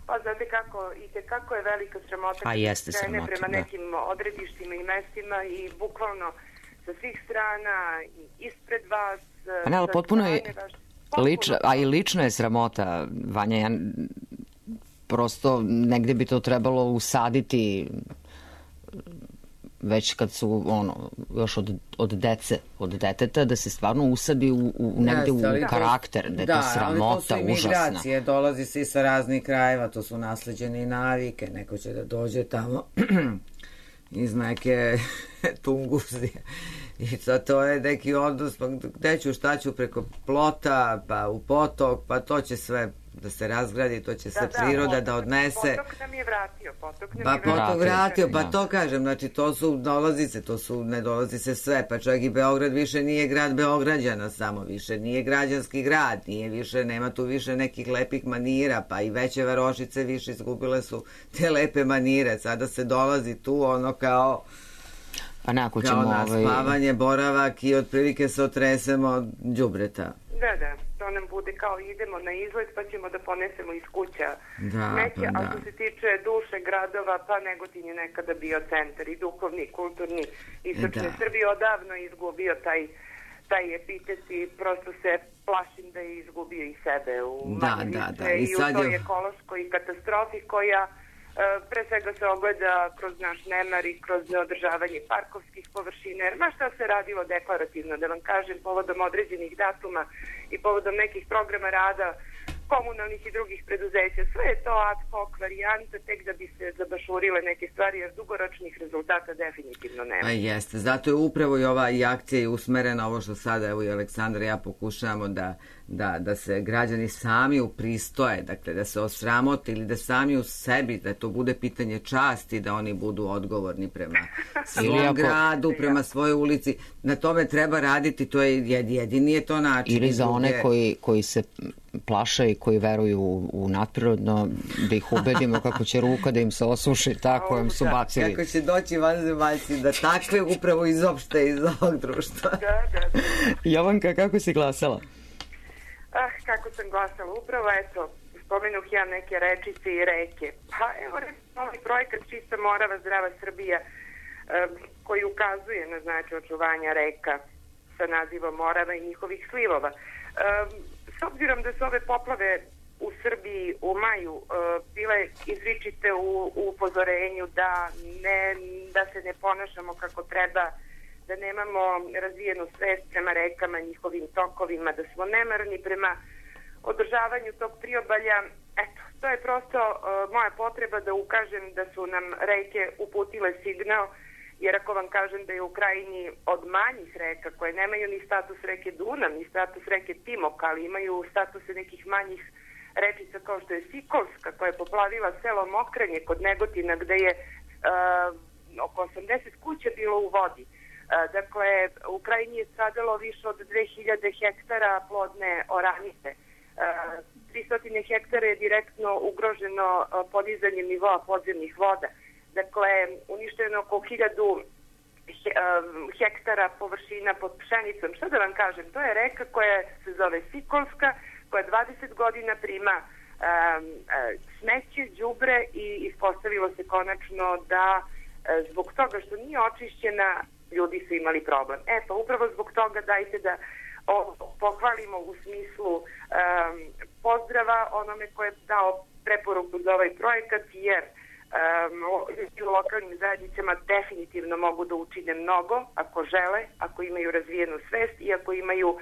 Pa znate kako, i te kako je velika sramota A jeste krene sramota, prema da. nekim odredištima i mestima i bukvalno sa svih strana i ispred vas. Pa ne, ali sa potpuno je strane vaš- potpuno. lična, a i lično je sramota, Vanja, ja prosto negde bi to trebalo usaditi već kad su ono, još od, od dece, od deteta, da se stvarno usadi u, u negde Jeste, ali u to- karakter, da je da, to ali sramota, to su i užasna. migracije, dolazi se i sa raznih krajeva, to su nasleđene i navike, neko će da dođe tamo iz neke Tunguzije. I to, to je neki odnos, pa gde ću, šta ću, preko plota, pa u potok, pa to će sve da se razgradi, to će sve priroda da, da odnese. Potok nam je vratio, potok nam Pa je vratio. potok vratio, pa da. to kažem, znači to su, dolazi se, to su, ne dolazi se sve, pa čak i Beograd više nije grad Beograđana samo, više nije građanski grad, nije više, nema tu više nekih lepih manira, pa i veće varošice više izgubile su te lepe manire, sada se dolazi tu ono kao Pa ne, ako kao ćemo na ovaj... spavanje, boravak i otprilike se otresemo đubreta. Da, da, to nam bude kao idemo na izlet pa ćemo da ponesemo iz kuća Da, smeće, pa a da. što se tiče duše gradova, pa Negotin je nekada bio centar i duhovni, i kulturni, istočne Da. Srbije, odavno je izgubio taj, taj epitet i prosto se plašim da je izgubio i sebe u Da, manje da, više da, i i u sad toj je- ekološkoj katastrofi koja e, pre svega se ogleda kroz naš nemar i kroz neodržavanje parkovskih površina, jer ma šta se radilo deklarativno, da vam kažem, povodom određenih datuma i povodom nekih programa rada komunalnih i drugih preduzeća, sve je to ad hoc varijanta, tek da bi se zabašurile neke stvari, jer dugoročnih rezultata definitivno nema. A jeste, zato je upravo i ova i akcija i usmerena, ovo što sada evo i Aleksandar i ja pokušavamo da, da, da se građani sami upristoje, dakle da se osramote ili da sami u sebi, da to bude pitanje časti, da oni budu odgovorni prema svom Ili ako- gradu, prema svojoj ulici. Na tome treba raditi, to je jed- jedini je to način. Ili I za one druge- koji, koji se plaše i koji veruju u, u nadprirodno, da ih ubedimo kako će ruka da im se osuši, tako im su bacili. Kako će doći vanzemaljci da takve upravo izopšte iz ovog društva. Da, da, da. Jovanka, kako si glasala? Ah, kako sam glasala, upravo, eto, spomenuh ja neke rečice i reke. Pa evo, recimo, ovaj projekat Čista Morava, Zdrava Srbija, em, koji ukazuje na značaj očuvanja reka sa nazivom Morava i njihovih slivova. Em, s obzirom da su ove poplave u Srbiji u maju e, bile izričite u, u upozorenju da, ne, da se ne ponašamo kako treba, da nemamo razvijenu svest prema rekama, njihovim tokovima, da smo nemarni prema održavanju tog priobalja. Eto, to je prosto uh, moja potreba da ukažem da su nam reke uputile signal, jer ako vam kažem da je u Krajini od manjih reka, koje nemaju ni status reke Dunav, ni status reke Timok, ali imaju statuse nekih manjih rečica kao što je Sikolska, koja je poplavila selo Mokrenje kod Negotina, gde je uh, oko osamdeset kuća bilo u vodi. Dakle, u Krajini je stradalo više od dve hiljade hektara plodne oranice. tristo hektara je direktno ugroženo podizanjem nivoa podzemnih voda. Dakle, uništeno oko hiljadu hektara površina pod pšenicom. Šta da vam kažem, to je reka koja se zove Sikolska, koja dvadeset godina prima um, smeće, đubre i ispostavilo se konačno da zbog toga što nije očišćena, ljudi su imali problem. E pa upravo zbog toga dajte da o, pohvalimo u smislu um, pozdrava onome ko je dao preporuku za ovaj projekat, jer uh, ljudi u lokalnim zajednicama definitivno mogu da učine mnogo ako žele, ako imaju razvijenu svest i ako imaju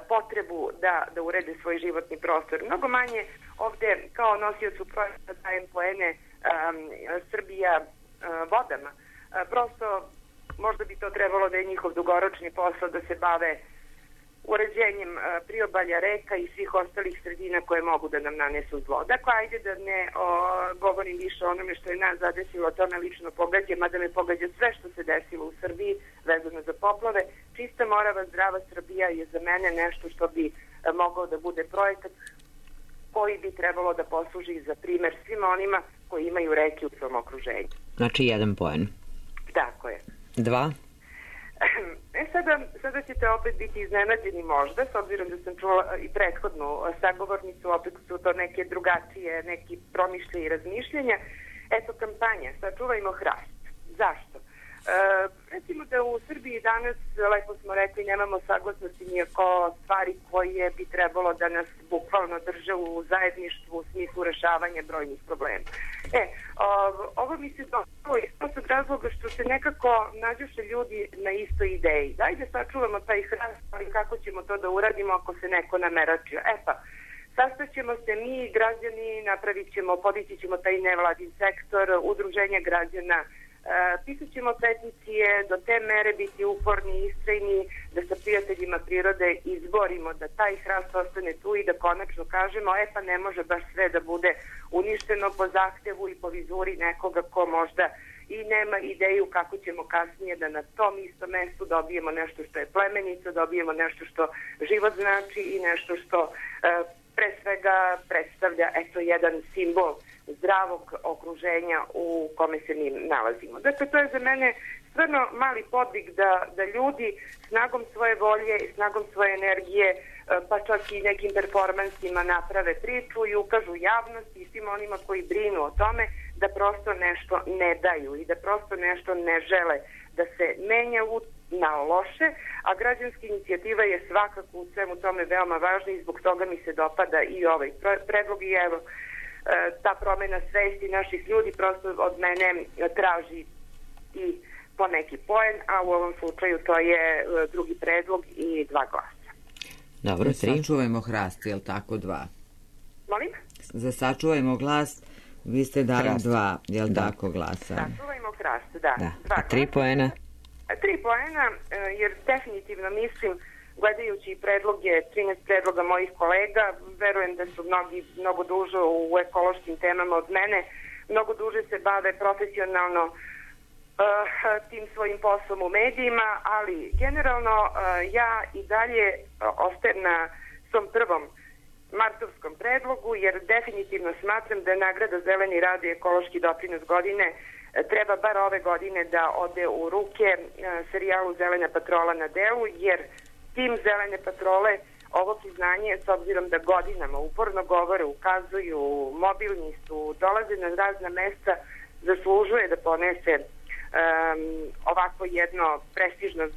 potrebu da, da urede svoj životni prostor. Mnogo manje ovde kao nosiocu projekta dajem poene um, Srbija uh, vodama. Uh, prosto možda bi to trebalo da je njihov dugoročni posao da se bave uređenjem uh, priobalja reka i svih ostalih sredina koje mogu da nam nanesu zlo. Dakle, ajde da ne o, govorim više o onome što je nas zadesilo, to me lično pogađa, mada me pogađa sve što se desilo u Srbiji vezano za poplave. Čista Morava, zdrava Srbija je za mene nešto što bi uh, mogao da bude projekat koji bi trebalo da posluži za primer svima onima koji imaju reke u svom okruženju. Znači jedan poen. Tako je. Dva? E sada, sada ćete opet biti iznenađeni možda, s obzirom da sam čula i prethodnu sagovornicu, opet su to neke drugačije, neki promišlje i razmišljenja. Eto, kampanja, sačuvajmo hrast. Zašto? E, recimo da u Srbiji danas, lepo smo rekli, nemamo saglasnosti nijako stvari koje bi trebalo da nas bukvalno drže u zajedništvu u smislu rešavanja brojnih problema. E, ovo mi se dopalo iz prostog razloga što se nekako nađuše ljudi na istoj ideji. Dajde sačuvamo taj hrast, ali kako ćemo to da uradimo ako se neko nameračio? E pa, sastaćemo se mi, građani, napravit ćemo, podići ćemo taj nevladin sektor, udruženja građana, Uh, pisat ćemo peticije, do te mere biti uporni i istrajni, da sa prijateljima prirode izborimo da taj hrast ostane tu i da konačno kažemo, e pa ne može baš sve da bude uništeno po zahtevu i po vizuri nekoga ko možda i nema ideju kako ćemo kasnije da na tom istom mestu dobijemo nešto što je plemenito, dobijemo nešto što život znači i nešto što uh, pre svega predstavlja eto jedan simbol zdravog okruženja u kome se mi nalazimo. Dakle, to je za mene stvarno mali podvig da, da ljudi snagom svoje volje i snagom svoje energije, pa čak i nekim performansima naprave priču i ukažu javnosti i svim onima koji brinu o tome da prosto nešto ne daju i da prosto nešto ne žele da se menja u na loše, a građanska inicijativa je svakako u svemu tome veoma važna i zbog toga mi se dopada i ovaj predlog i evo ta promena svesti naših ljudi prosto od mene traži i po neki poen, a u ovom slučaju to je drugi predlog i dva glasa. Dobro, tri. Sačuvajmo hrast, je li tako, dva? Molim? Za sačuvajmo glas, vi ste dali hrast. Dva, je li tako, glasa? Sačuvajmo hrast, da. da. Dva a tri poena? Tri poena, jer definitivno mislim, gledajući predloge, trinaest predloga mojih kolega, verujem da su mnogi mnogo duže u ekološkim temama od mene, mnogo duže se bave profesionalno uh, tim svojim poslom u medijima, ali generalno uh, ja i dalje ostajem na svom prvom martovskom predlogu, jer definitivno smatram da je nagrada Zeleni rad i ekološki doprinos godine treba bar ove godine da ode u ruke uh, serijalu Zelena patrola na delu, jer tim Zelene patrole ovo priznanje, s obzirom da godinama uporno govore, ukazuju, mobilni su, dolaze na razna mesta, zaslužuje da ponese um, ovako jedno prestižno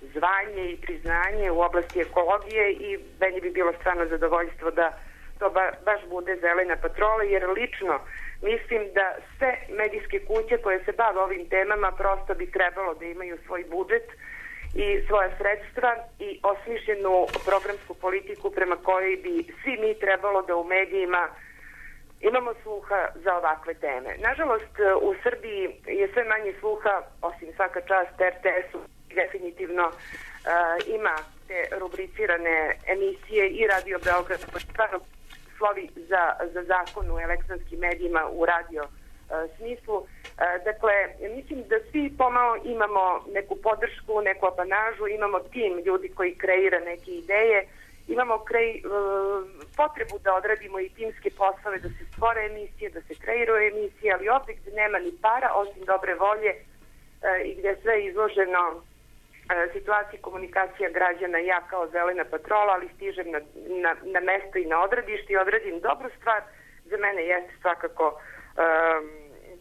zvanje i priznanje u oblasti ekologije i meni bi bilo stvarno zadovoljstvo da to ba, baš bude Zelena patrola, jer lično mislim da sve medijske kuće koje se bave ovim temama prosto bi trebalo da imaju svoj budžet i svoja sredstva i osmišljenu programsku politiku prema kojoj bi svi mi trebalo da u medijima imamo sluha za ovakve teme. Nažalost, u Srbiji je sve manje sluha, osim svaka čast er te esu, definitivno uh, ima te rubricirane emisije i Radio Beograd, koji stvarno slovi za, za zakon u elektronskim medijima u radio uh, smislu. Uh, dakle, mislim da svi pomalo imamo neku podršku, neku apanažu, imamo tim ljudi koji kreira neke ideje, imamo krej, uh, potrebu da odradimo i timske poslove, da se stvore emisije, da se kreiraju emisije, ali ovdje gde nema ni para, osim dobre volje uh, i gde sve izloženo uh, situaciji komunikacija građana, ja kao Zelena patrola, ali stižem na, na, na mesto i na odredište i odradim dobru stvar, za mene jeste svakako um,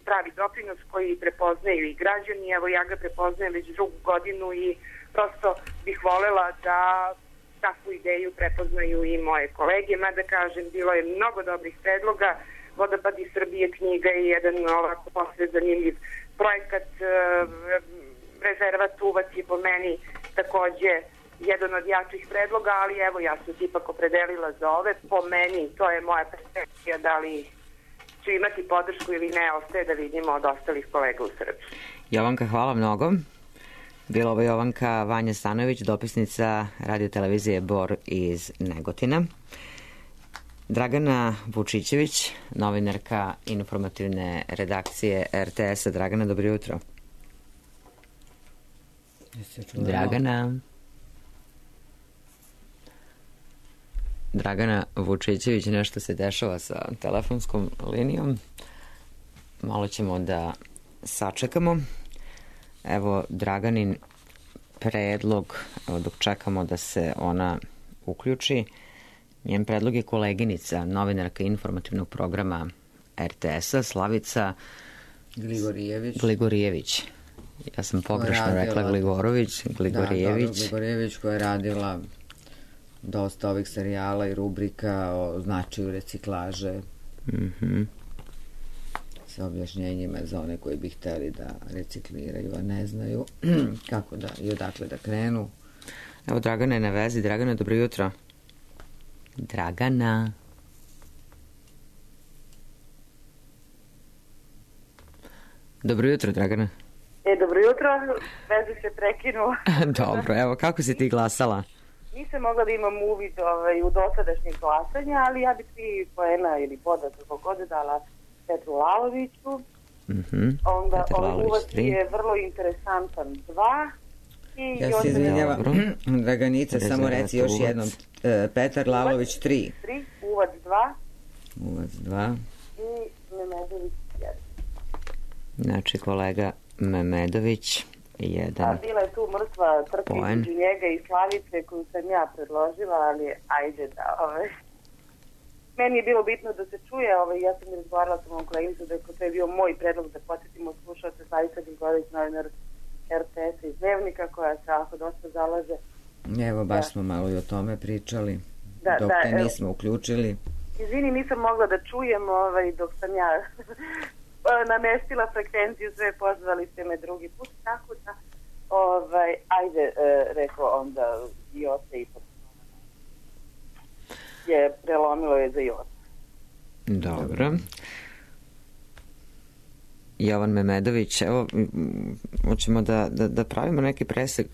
pravi doprinos koji prepoznaju i građani. Evo, ja ga prepoznajem već drugu godinu i prosto bih volela da takvu ideju prepoznaju i moje kolege, mada kažem, bilo je mnogo dobrih predloga, Vodopadi Srbije knjiga i jedan ovako posle zanimljiv projekat rezervat Uvac je po meni takođe jedan od jačih predloga, ali evo ja sam se ipak opredelila za ove. Po meni to je moja perspekcija, da li ću imati podršku ili ne, ostaje da vidimo od ostalih kolega u Srbiji. Jovanka, hvala mnogo. Bila ovo Jovanka Vanja Stanojević, dopisnica radio-televizije Bor iz Negotina. Dragana Vučićević, novinarka informativne redakcije er te es-a. Dragana, dobro jutro. Dragana. Dragana Vučićević, nešto se dešava sa telefonskom linijom. Malo ćemo da sačekamo. Evo Draganin predlog, evo dok čekamo da se ona uključi. Njen predlog je koleginica, novinarka informativnog programa er te es-a, Slavica Gligorijević. Gligorijević. Ja sam pogrešno radila, rekla Gligorović, Gligorijević. Da, dobro, Gligorijević koja je radila dosta ovih serijala i rubrika o značaju reciklaže. Mhm. Sa objašnjenjima za one koji bi hteli da recikliraju, a ne znaju kako da i odakle da krenu. Evo Dragana je na vezi. Dragana, dobro jutro. Dragana. Dobro jutro, Dragana. E, dobro jutro, veze se prekinula. Dobro, evo, kako si ti glasala? Nisam mogla da imam uvid ovaj, u dosadašnjih glasanja, ali ja bih tri poena ili boda kako god dala Petru Laloviću. Mm-hmm. Onda ovaj Uvac je vrlo interesantan dva. I ja se izvinjavam, Draganica, samo reci još uvac. Jednom. E, Petar Lalović tri. tri, Uvac dva. Uvac dva. I Memedović jedan. Znači kolega Memedović jedan. A bila je tu mrtva trka između njega i Slavice koju sam ja predložila, ali ajde da ove. Meni je bilo bitno da se čuje, ove, ja sam razgovarala sa mojom koleginicom da je to je bio moj predlog da posjetimo slušalce Slavica Gligorijević, novinar er te es-a iz Dnevnika, koja se ako dosta zalaže. Evo, baš da. smo malo i o tome pričali, da, dok da, te nismo evo. uključili. Izvini, nisam mogla da čujem ovaj, dok sam ja namestila frekvenciju, sve pozvali ste me drugi put, tako da ovaj, ajde, e, rekao onda Jota ipak je prelomilo je za Jota. Dobro. Jovan Memedović, evo, hoćemo da, da, da pravimo neki presek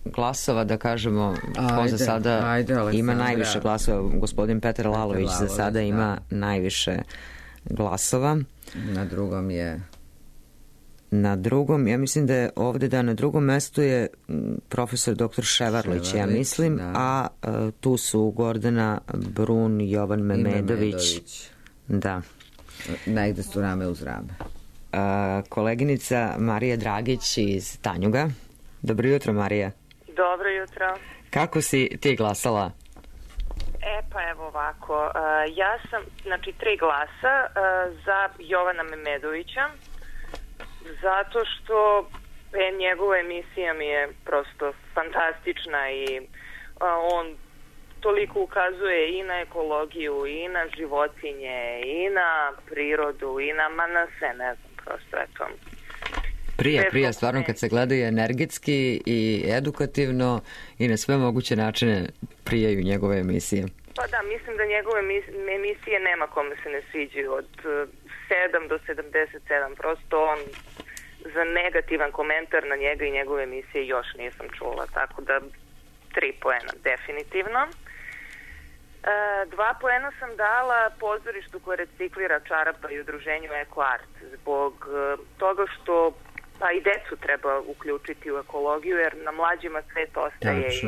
glasova, da kažemo ko za sada ajde, ima najviše glasova. Gospodin Petar Lalović za sada ima da. najviše glasova. Na drugom je... Na drugom, ja mislim da je ovde da na drugom mestu je profesor doktor Ševarlić, Ševarlić ja mislim, da. a uh, tu su Gordana Brun, Jovan Memedović. Memedović. Da. Negde su rame uz rame. Uh, koleginica Marija Dragić iz Tanjuga. Dobro jutro, Marija. Dobro jutro. Kako si ti glasala? E pa evo ovako, uh, ja sam, znači tri glasa uh, za Jovana Memedovića, zato što e, njegova emisija mi je prosto fantastična i uh, on toliko ukazuje i na ekologiju, i na životinje, i na prirodu, i na, ma na sve, ne znam, prosto, eto. Prija, prija, stvarno kad se gledaju energetski i edukativno i na sve moguće načine prijaju njegove emisije. Pa da, mislim da njegove emisije nema kome se ne sviđaju od sedam do sedamdeset sedam, prosto on za negativan komentar na njega i njegove emisije još nisam čula, tako da tri poena definitivno. E, dva poena sam dala pozorištu koje reciklira čarapa i udruženju Eko Art zbog e, toga što pa i decu treba uključiti u ekologiju jer na mlađima svet ostaje i,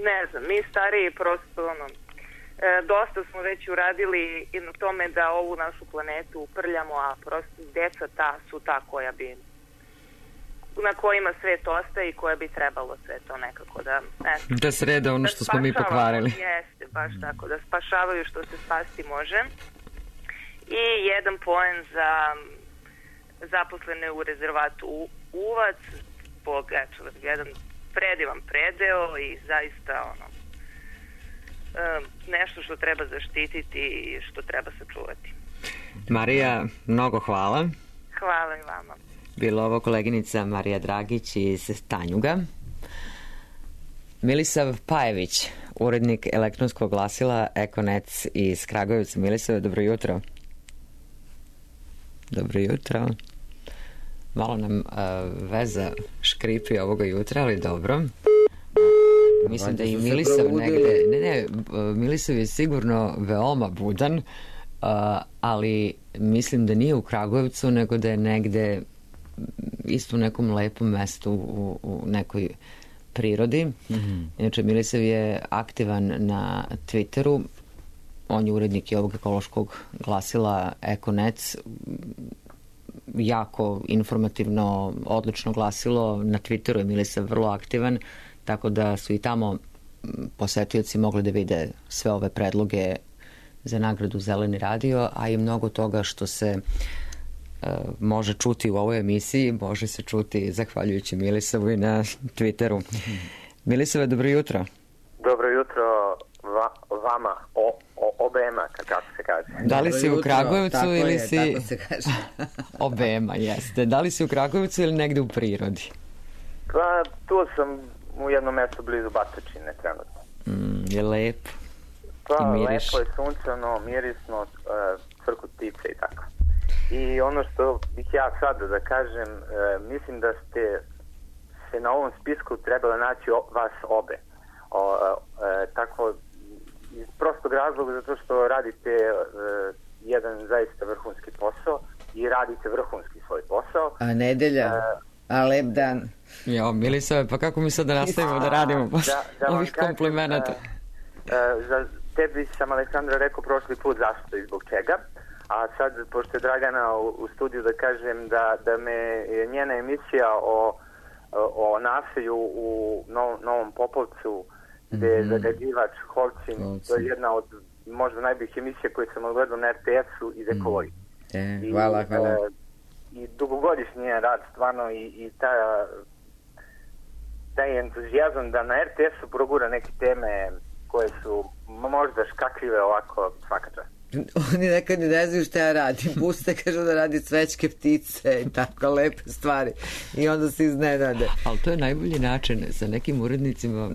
ne znam, mi stariji prosto ono, e, dosta smo već uradili i na tome da ovu našu planetu uprljamo, a prosto deca ta su ta koja bi na kojima svet ostaje i koja bi trebalo sve to nekako da... Eto, da sreda ono što da smo mi pokvarili. Jeste, baš tako, da spašavaju što se spasti može. I jedan poen za zaposlene u rezervatu Uvac, zbog, eto, jedan predivan predeo i zaista ono, nešto što treba zaštititi i što treba sačuvati. Marija, mnogo hvala. Hvala i vama. Bila ovo koleginica Marija Dragić iz Tanjuga. Milisav Pajević, urednik elektronskog glasila Ekonec iz Kragujevca. Milisav, dobro jutro. Dobro jutro. Malo nam uh, veza škripi ovoga jutra, ali dobro. Mislim da i Milisav negde... Ne, ne, Milisav je sigurno veoma budan, uh, ali mislim da nije u Kragujevcu, nego da je negde isto u nekom lepom mestu u, u nekoj prirodi. Mm-hmm. Inače, Milisav je aktivan na Twitteru. On je urednik i ovog ekološkog glasila Ekonec. Jako informativno, odlično glasilo. Na Twitteru je Milisav vrlo aktivan, tako da su i tamo posetioci mogli da vide sve ove predloge za nagradu Zeleni radio, a i mnogo toga što se uh, može čuti u ovoj emisiji, može se čuti zahvaljujući Milisavu i na Twitteru. Milisave, dobro jutro. Dobro jutro va, vama, o, o, obema, kako se kaže. Da li si u Kragujevcu tako ili je, si... Tako se kaže. Obema, jeste. Da li si u Kragujevcu ili negde u prirodi? Pa, tu sam u jednom mjestu blizu Batočine trenutno. Mm, je lepo. Pa, lepo je, sunčano, mirisno, uh, crku ptice i tako. I ono što bih ja sad da kažem, uh, mislim da ste se na ovom spisku trebali naći o, vas obe. O, uh, uh, tako, iz prostog razloga zato što radite uh, jedan zaista vrhunski posao i radite vrhunski svoj posao. A nedelja? Uh, A lep dan. Jo, Milisave, pa kako mi sad da nastavimo da radimo da, da ovih komplimenata? Uh, uh, za tebi sam, Aleksandra, rekao prošli put zašto i zbog čega, a sad, pošto je Dragana u, u studiju, da kažem da, da me je njena emisija o, o nasilju u Novom, Novom Popovcu, gde je mm-hmm. zagađivač Holcim, to je jedna od možda najboljih emisija koje sam odgledao na er te esu iz ekologije. Mm. E, hvala, hvala. I, uh, i dugogodišnji je rad stvarno i, i ta, taj entuzijazam da na er te esu progura neke teme koje su možda škakljive, ovako svaka čast. Oni nekad ne znaju šta ja radim. Puste, kažu da radi cvećke ptice i tako lepe stvari. I onda se iznenade. Ali to je najbolji način. Sa nekim urednicima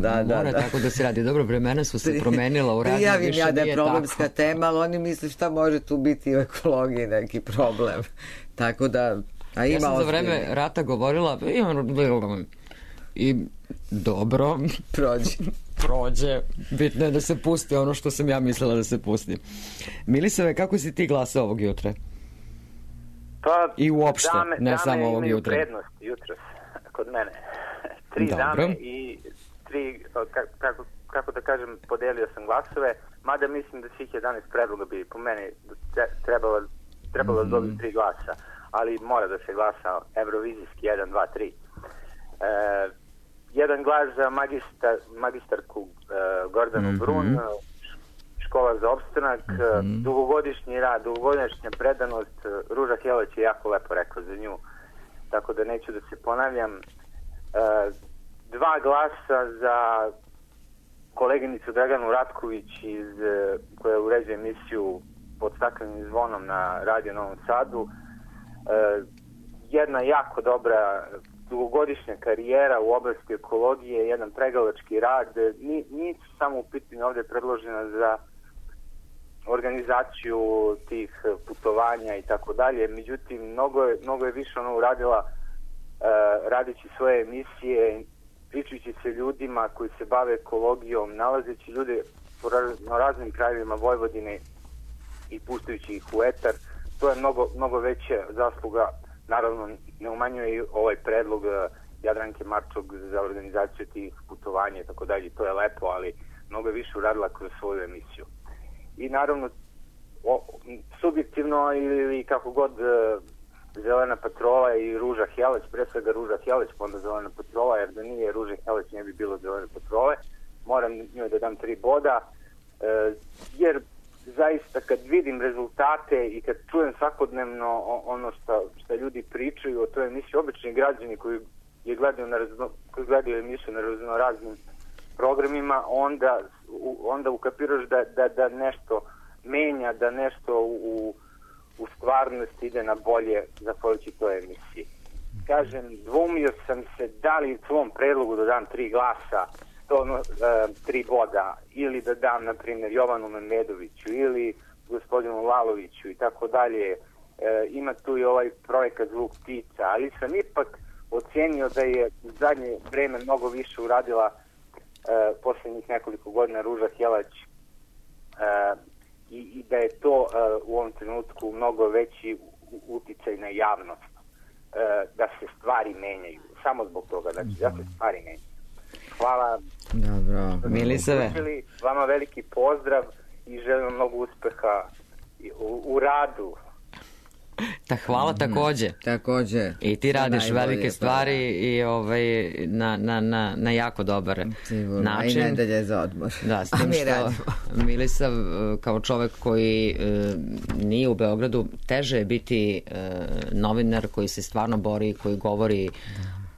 da, mora da, da. tako da se radi. Dobro, vremena su se promenila u radiju. Prijavim ja da je problemska tako. tema, ali oni misle šta može tu biti u ekologiji neki problem. Tako da... A ima ja sam za vreme rata govorila i dobro prođe. prođe. Bitno je da se pusti ono što sam ja mislila da se pusti. Milisave, kako si ti glasao ovog jutra? Pa, i uopšte, dame, ne dame samo ovog jutra. Dame imaju prednost jutros kod mene. Tri Dobro. dame i tri, kako, kako da kažem, podelio sam glasove, mada mislim da svih jedanaest predloga bi po meni trebalo, trebalo mm-hmm. dobiti tri glasa, ali mora da se glasa evrovizijski jedan, dva, tri. E, jedan glas za magistar, magistarku uh, Gordanu mm-hmm. Brun, škola za opstanak, mm-hmm. dugogodišnji rad, dugogodišnja predanost. Ruža Heleć je jako lepo rekao za nju, tako da neću da se ponavljam. Uh, dva glasa za koleginicu Draganu Ratković iz, uh, koja uređuje emisiju Pod staklenim zvonom na Radio Novom Sadu. Uh, jedna jako dobra dugogodišnja karijera u oblasti ekologije, jedan pregalački rad. Nisu samo u pitanju ovdje predložena za organizaciju tih putovanja i tako dalje, međutim mnogo je, mnogo je više ona uradila uh, radići svoje emisije, pričajući se ljudima koji se bave ekologijom, nalazeći ljude po raz, na raznim krajevima Vojvodine i puštajući ih u etar. To je mnogo, mnogo veća zasluga. Naravno, ne umanjuje i ovaj predlog Jadranke Marčog za organizaciju tih putovanja i tako dalje. To je lepo, ali mnogo je više uradila kroz svoju emisiju. I naravno, o, subjektivno ili kako god Zelena patrola i Ruža Heleć, pre svega Ruža Heleć, pa onda Zelena patrola, jer da nije Ruža Heleć ne bi bilo Zelene patrole. Moram njoj da dam tri boda, jer zaista kad vidim rezultate i kad čujem svakodnevno ono što, što ljudi pričaju o toj emisiji, obični građani koji je gledaju, na razno, koji gledaju emisiju na raznoraznim programima, onda, onda ukapiraš da, da, da nešto menja, da nešto u, u stvarnosti ide na bolje zahvaljujući toj emisiji. Kažem, dvumio sam se da li u svom predlogu da dam tri glasa, ono, e, tri boda, ili da dam, na primjer, Jovanu Memedoviću ili gospodinu Laloviću i tako dalje. E, ima tu i ovaj projekat Zvuk ptica, ali sam ipak ocenio da je u zadnje vreme mnogo više uradila e, posljednjih nekoliko godina Ruža Helać e, i, i da je to e, u ovom trenutku mnogo veći uticaj na javnost, e, da se stvari menjaju. Samo zbog toga, znači da se stvari menjaju. Hvala. Dobro, Milisave. Vama veliki pozdrav i želim mnogo uspeha u, u radu. Ta hvala takođe. Mm, takođe. I ti radiš velike stvari i ovaj, na, na, na, na jako dobar Sigurno. način. I nedelje za odmor. Da, s tim što Milisav kao čovek koji e, nije u Beogradu, teže je biti e, novinar koji se stvarno bori, koji govori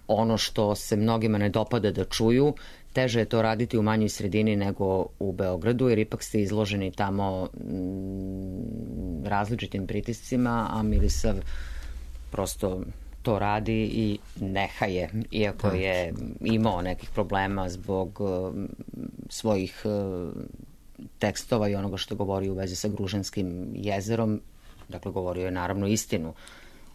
ono što se mnogima ne dopada da čuju. Teže je to raditi u manjoj sredini nego u Beogradu, jer ipak ste izloženi tamo m, različitim pritiscima, a Milisav prosto to radi i neha je, iako je imao nekih problema zbog uh, svojih uh, tekstova i onoga što govori u vezi sa Gružanskim jezerom. Dakle, govorio je naravno istinu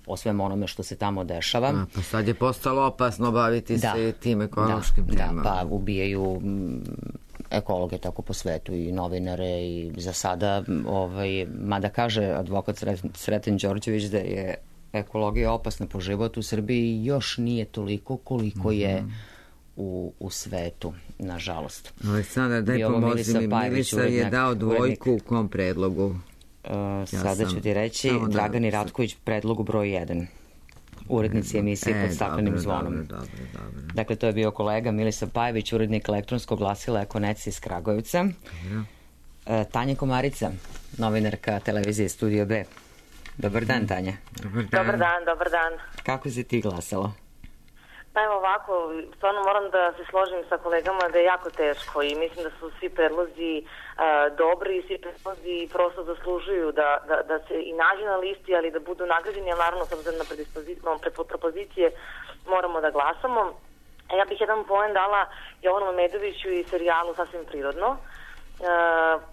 o svem onome što se tamo dešava. A, pa sad je postalo opasno baviti da, se tim ekološkim da, temama. Da, pa ubijaju ekologe tako po svetu i novinare i za sada, ovaj, mada kaže advokat Sreten Đorđević da je ekologija opasna po život u Srbiji, još nije toliko koliko je u, u svetu, nažalost. Aleksandar, daj pomozi mi, Milisa je dao dvojku u kom predlogu? Uh, sada ću ti reći Dragani Ratković, predlogu broj jedan, urednici emisije e, pod staklenim dobro, zvonom. Dobro, dobro, dobro. Dakle, to je bio kolega Milisav Pajević, urednik elektronskog glasila Ekonec iz Kragujevca. Uh, Tanja Komarica, novinarka televizije Studio B. Dobar dan, Tanja. Dobar dan. Dobar dan, dobar dan. Kako si ti glasala? Pa evo ovako, stvarno moram da se složim sa kolegama da je jako teško i mislim da su svi predlozi uh, dobri i svi predlozi prosto zaslužuju da, da, da se i nađe na listi, ali da budu nagrađeni, ali naravno s obzirom na propozicije moramo da glasamo. A ja bih jedan poen dala Jovanu Memedoviću i serijalu Sasvim prirodno, uh,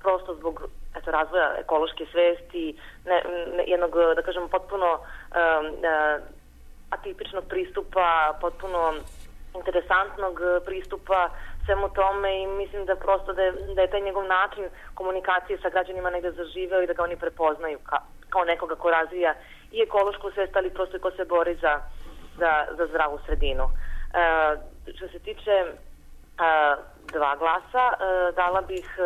prosto zbog eto, razvoja ekološke svesti, ne, ne, jednog, da kažem, potpuno uh, uh, atipičnog pristupa, potpuno interesantnog pristupa svemu tome i mislim da prosto da je, da je taj njegov način komunikacije sa građanima negde zaživeo i da ga oni prepoznaju ka, kao nekoga ko razvija i ekološku svest, ali prosto i ko se bori za, za, za zdravu sredinu. E, što se tiče e, dva glasa, e, dala bih e,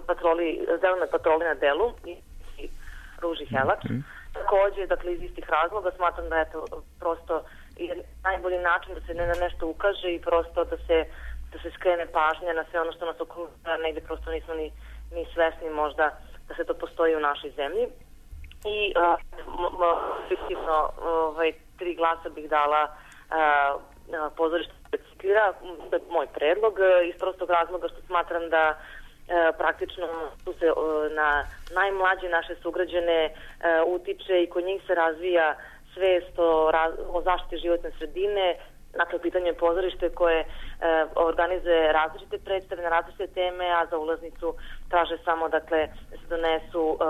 patroli, zelenoj patroli na delu i, i Ruži Helač. Takođe, dakle, iz istih razloga smatram da je to prosto najbolji način da se ne na nešto ukaže i prosto da se, da se skrene pažnja na sve ono što nas okružuje, negde prosto nismo ni, ni svesni možda da se to postoji u našoj zemlji. I fiktivno ovaj, tri glasa bih dala a, pozorište reciklira, to je moj predlog, iz prostog razloga što smatram da E, praktično tu se e, na najmlađe naše sugrađane e, utiče i kod njih se razvija svest o, o zaštiti životne sredine. Dakle, pitanje je pozorište koje e, organizuje različite predstave na različite teme, a za ulaznicu traže samo dakle, da se donesu e,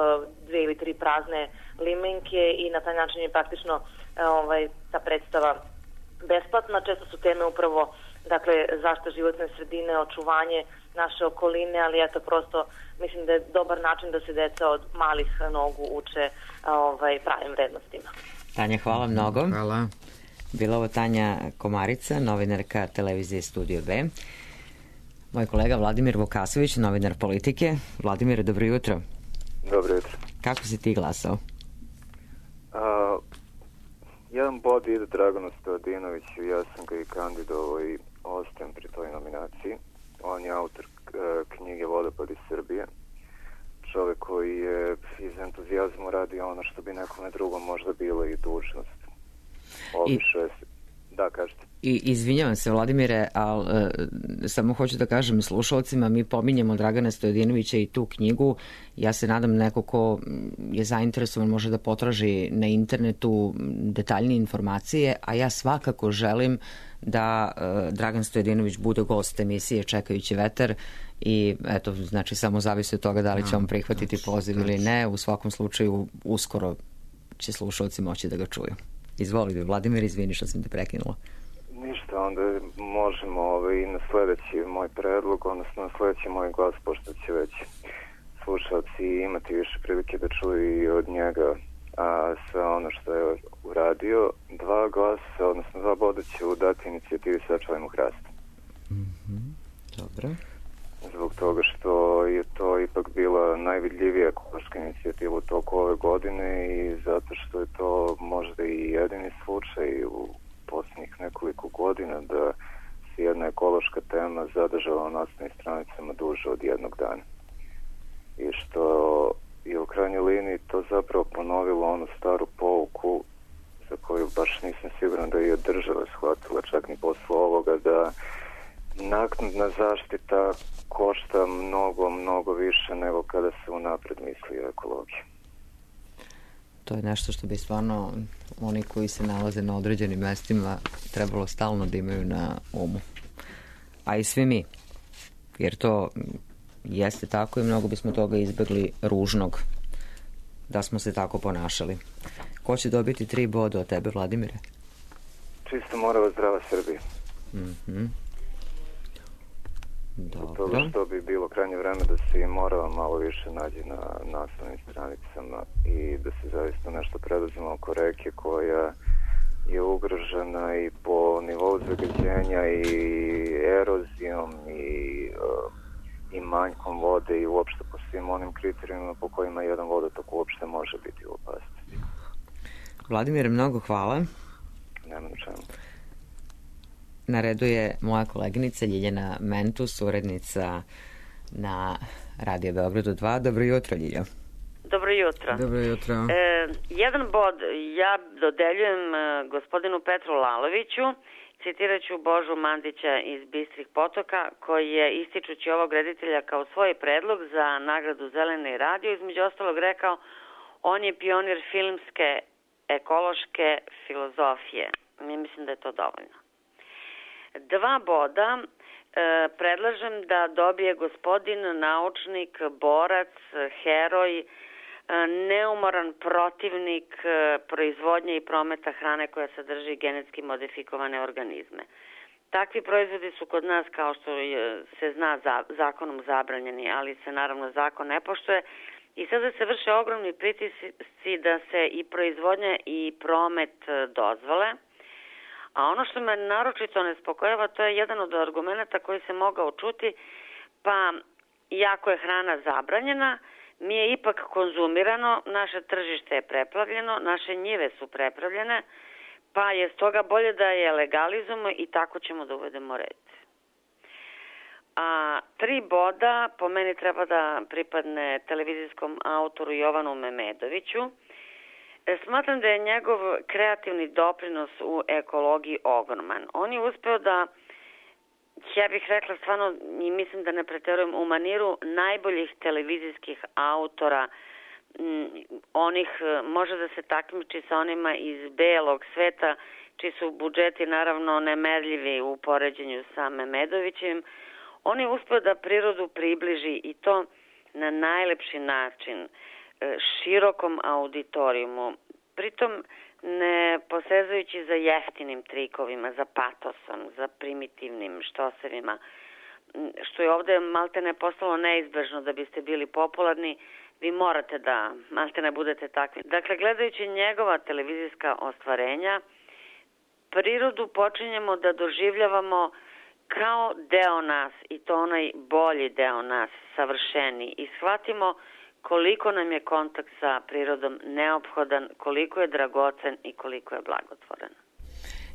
dve ili tri prazne limenke i na taj način je praktično e, ovaj, ta predstava besplatna. Često su teme upravo dakle, zaštita životne sredine, očuvanje naše okoline, ali eto prosto mislim da je dobar način da se deca od malih nogu uče ovaj, pravim vrednostima. Tanja, hvala mnogo. Hvala. Bila ovo Tanja Komarica, novinarka televizije Studio B. Moj kolega Vladimir Vukasović, novinar politike. Vladimir, dobro jutro. Dobro jutro. Kako si ti glasao? A, jedan bod ide Draganu Stojadinoviću, ja sam ga i kandidovao i ostajem pri toj nominaciji. On je autor knjige Vodopad iz Srbije. Čovek koji je iz entuzijazma radi ono što bi nekome drugom možda bilo i dužnost. Obišao je... Da, kažete. I izvinjavam se, Vladimire, ali e, samo hoću da kažem slušalcima, mi pominjemo Dragana Stojadinovića i tu knjigu. Ja se nadam neko ko je zainteresovan može da potraži na internetu detaljnije informacije, a ja svakako želim da e, Dragan Stojadinović bude gost emisije Čekajući vetar i eto, znači samo zavisi od toga da li će on prihvatiti poziv ili ne. U svakom slučaju uskoro će slušalci moći da ga čuju. Izvolite, Vladimir, izvini što sam te prekinula. Ništa, onda možemo ovaj, i na sledeći moj predlog, odnosno na sledeći moj glas, pošto će već slušalci imati više prilike da čuju i od njega a sve ono što je uradio. Dva glasa, odnosno dva boda će dati inicijativi Sačuvajmo hrast. Mm-hmm. Dobro. Zbog toga što je to ipak bila najvidljivija ekološka inicijativa u toku ove godine i zato što je to možda i jedini slučaj u posljednjih nekoliko godina da se jedna ekološka tema zadržala na naslovnim stranicama duže od jednog dana. I što je u krajnjoj liniji to zapravo ponovilo onu staru pouku za koju baš nisam siguran da je država shvatila čak ni posle ovoga, da naknadna zaštita košta mnogo, mnogo više nego kada se unapred misli o ekologiji. To je nešto što bi stvarno oni koji se nalaze na određenim mestima trebalo stalno da imaju na umu. A i svi mi. Jer to jeste tako i mnogo bismo toga izbegli ružnog da smo se tako ponašali. Ko će dobiti tri boda od tebe, Vladimire? Čisto morava zdrava Srbija. Mhm. Zbog toga što bi bilo krajnje vreme da se i Morava malo više nađe na naslovnim stranicama i da se zaista nešto preduzima oko reke koja je ugrožena i po nivou zagađenja i erozijom i, uh, i manjkom vode i uopšte po svim onim kriterijima po kojima jedan vodotok uopšte može biti u opasnosti. Vladimire, mnogo hvala. Nema na čemu. Na redu je moja koleginica Ljiljana Mentus, urednica na Radio Beogradu dva. Dobro jutro, Ljilja. Dobro jutro. Dobro jutro. E, jedan bod ja dodeljujem e, gospodinu Petru Laloviću, citirat ću Božu Mandića iz Bistrih potoka, koji je ističući ovog reditelja kao svoj predlog za nagradu Zeleni radio, između ostalog rekao, on je pionir filmske ekološke filozofije. Mi mislim da je to dovoljno. Dva boda e, predlažem da dobije gospodin naučnik, borac, heroj, e, neumoran protivnik e, proizvodnje i prometa hrane koja sadrži genetski modifikovane organizme. Takvi proizvodi su kod nas, kao što je, se zna, za, zakonom zabranjeni, ali se naravno zakon ne poštuje i sada se vrše ogromni pritisci da se i proizvodnja i promet dozvole. A ono što me naročito nespokojava, to je jedan od argumenta koji se mogao čuti, pa iako je hrana zabranjena, mi je ipak konzumirano, naše tržište je preplavljeno, naše njive su prepravljene, pa je stoga bolje da je legalizujemo i tako ćemo da uvedemo red. A tri boda po meni treba da pripadne televizijskom autoru Jovanu Memedoviću. Smatram da je njegov kreativni doprinos u ekologiji ogroman. On je uspeo da, ja bih rekla stvarno, i mislim da ne preterujem, u maniru najboljih televizijskih autora, onih, može da se takmiči sa onima iz belog sveta, čiji su budžeti naravno nemerljivi u poređenju sa Memedovićem. On je uspeo da prirodu približi i to na najlepši način, širokom auditorijumu, pritom ne posezajući za jeftinim trikovima, za patosom, za primitivnim štosevima, što je ovde malte ne postalo neizbežno da biste bili popularni, vi morate da malte ne budete takvi. Dakle, gledajući njegova televizijska ostvarenja, prirodu počinjemo da doživljavamo kao deo nas i to onaj bolji deo nas, savršeni, i shvatimo koliko nam je kontakt sa prirodom neophodan, koliko je dragocen i koliko je blagotvoren.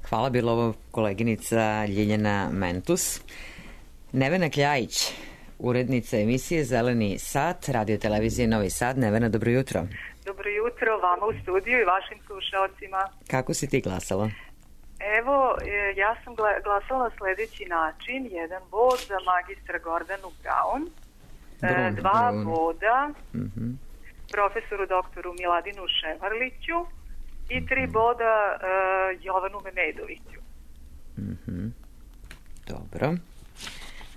Hvala, bila ovo koleginica Ljiljana Mentus. Nevena Kljajić, urednica emisije Zeleni sat, radio televizije Novi Sad. Nevena, dobro jutro. Dobro jutro vama u studiju i vašim slušalcima. Kako si ti glasala? Evo, e, ja sam gla- glasala na sledeći način. Jedan bod za magistra Gordanu Braun, e, dva Brun. boda mm-hmm. profesoru doktoru Miladinu Ševarliću i tri boda e, Jovanu Memedoviću. Mm-hmm. Dobro.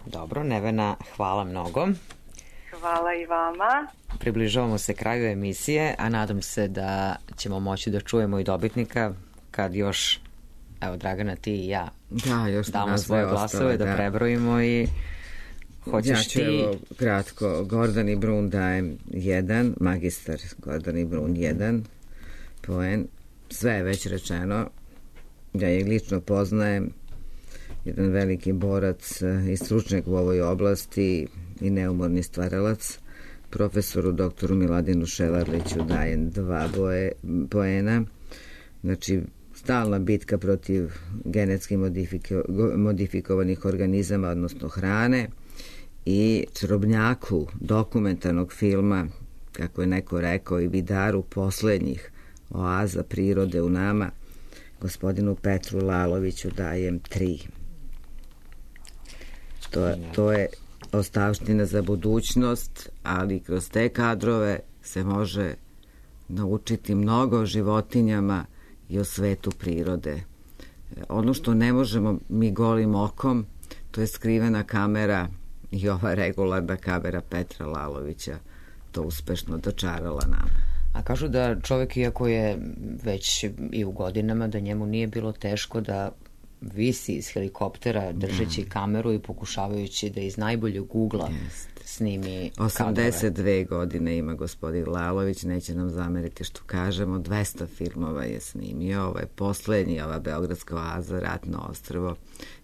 Dobro, Nevena, hvala mnogo. Hvala i vama. Približavamo se kraju emisije, a nadam se da ćemo moći da čujemo i dobitnika kad još, evo Dragana, ti i ja da, još damo svoje glasove, ostale, da, da prebrojimo i hoćeš ja ću, ti... Evo, kratko, Gordani Brun dajem jedan, magistar Gordani Brun jedan poen, sve je već rečeno, ja je lično poznajem, jedan veliki borac i stručnjak u ovoj oblasti i neumorni stvaralac. Profesoru doktoru Miladinu Ševarliću dajem dva boje, poena. Znači, stalna bitka protiv genetski modifiko, modifikovanih organizama, odnosno hrane, i čarobnjaku dokumentarnog filma, kako je neko rekao, i vidaru poslednjih oaza prirode u nama, gospodinu Petru Laloviću dajem tri. To, to je ostavština za budućnost, ali kroz te kadrove se može naučiti mnogo o životinjama i o svetu prirode. Ono što ne možemo mi golim okom, to je skrivena kamera i ova regularna kamera Petra Lalovića to uspešno dočarala nama. A kažu da čovjek, iako je već i u godinama, da njemu nije bilo teško da visi iz helikoptera držeći da. kameru i pokušavajući da iz najboljeg ugla Jest. snimi osamdeset dve godine ima gospodin Lalović, neće nam zameriti što kažemo, dvesta filmova je snimio, ovo je poslednji, ova Beogradska oaza, Ratno ostrvo,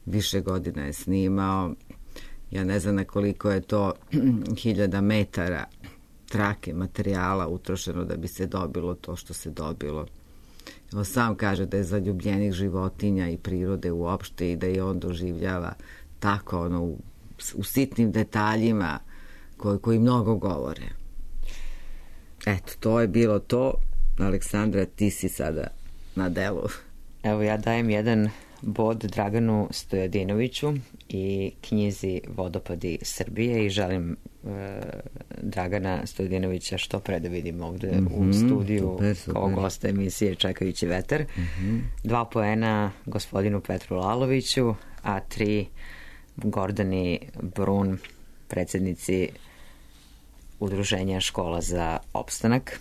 više godina je snimao, ja ne znam na koliko je to hiljada metara trake materijala utrošeno da bi se dobilo to što se dobilo. On sam kaže da je zaljubljenih životinja i prirode uopšte i da je on doživljava tako ono u, u sitnim detaljima koji, koji mnogo govore. Eto, to je bilo to. Aleksandra, ti si sada na delu. Evo, ja dajem jedan bod Draganu Stojadinoviću i knjizi Vodopadi Srbije i želim e, Dragana Stojadinovića što pre da vidim ovde mm-hmm, u studiju super, super. kao gosta emisije Čekajući vetar. Mm-hmm. Dva poena gospodinu Petru Laloviću, a tri Gordani Brun, predsjednici Udruženja škola za opstanak.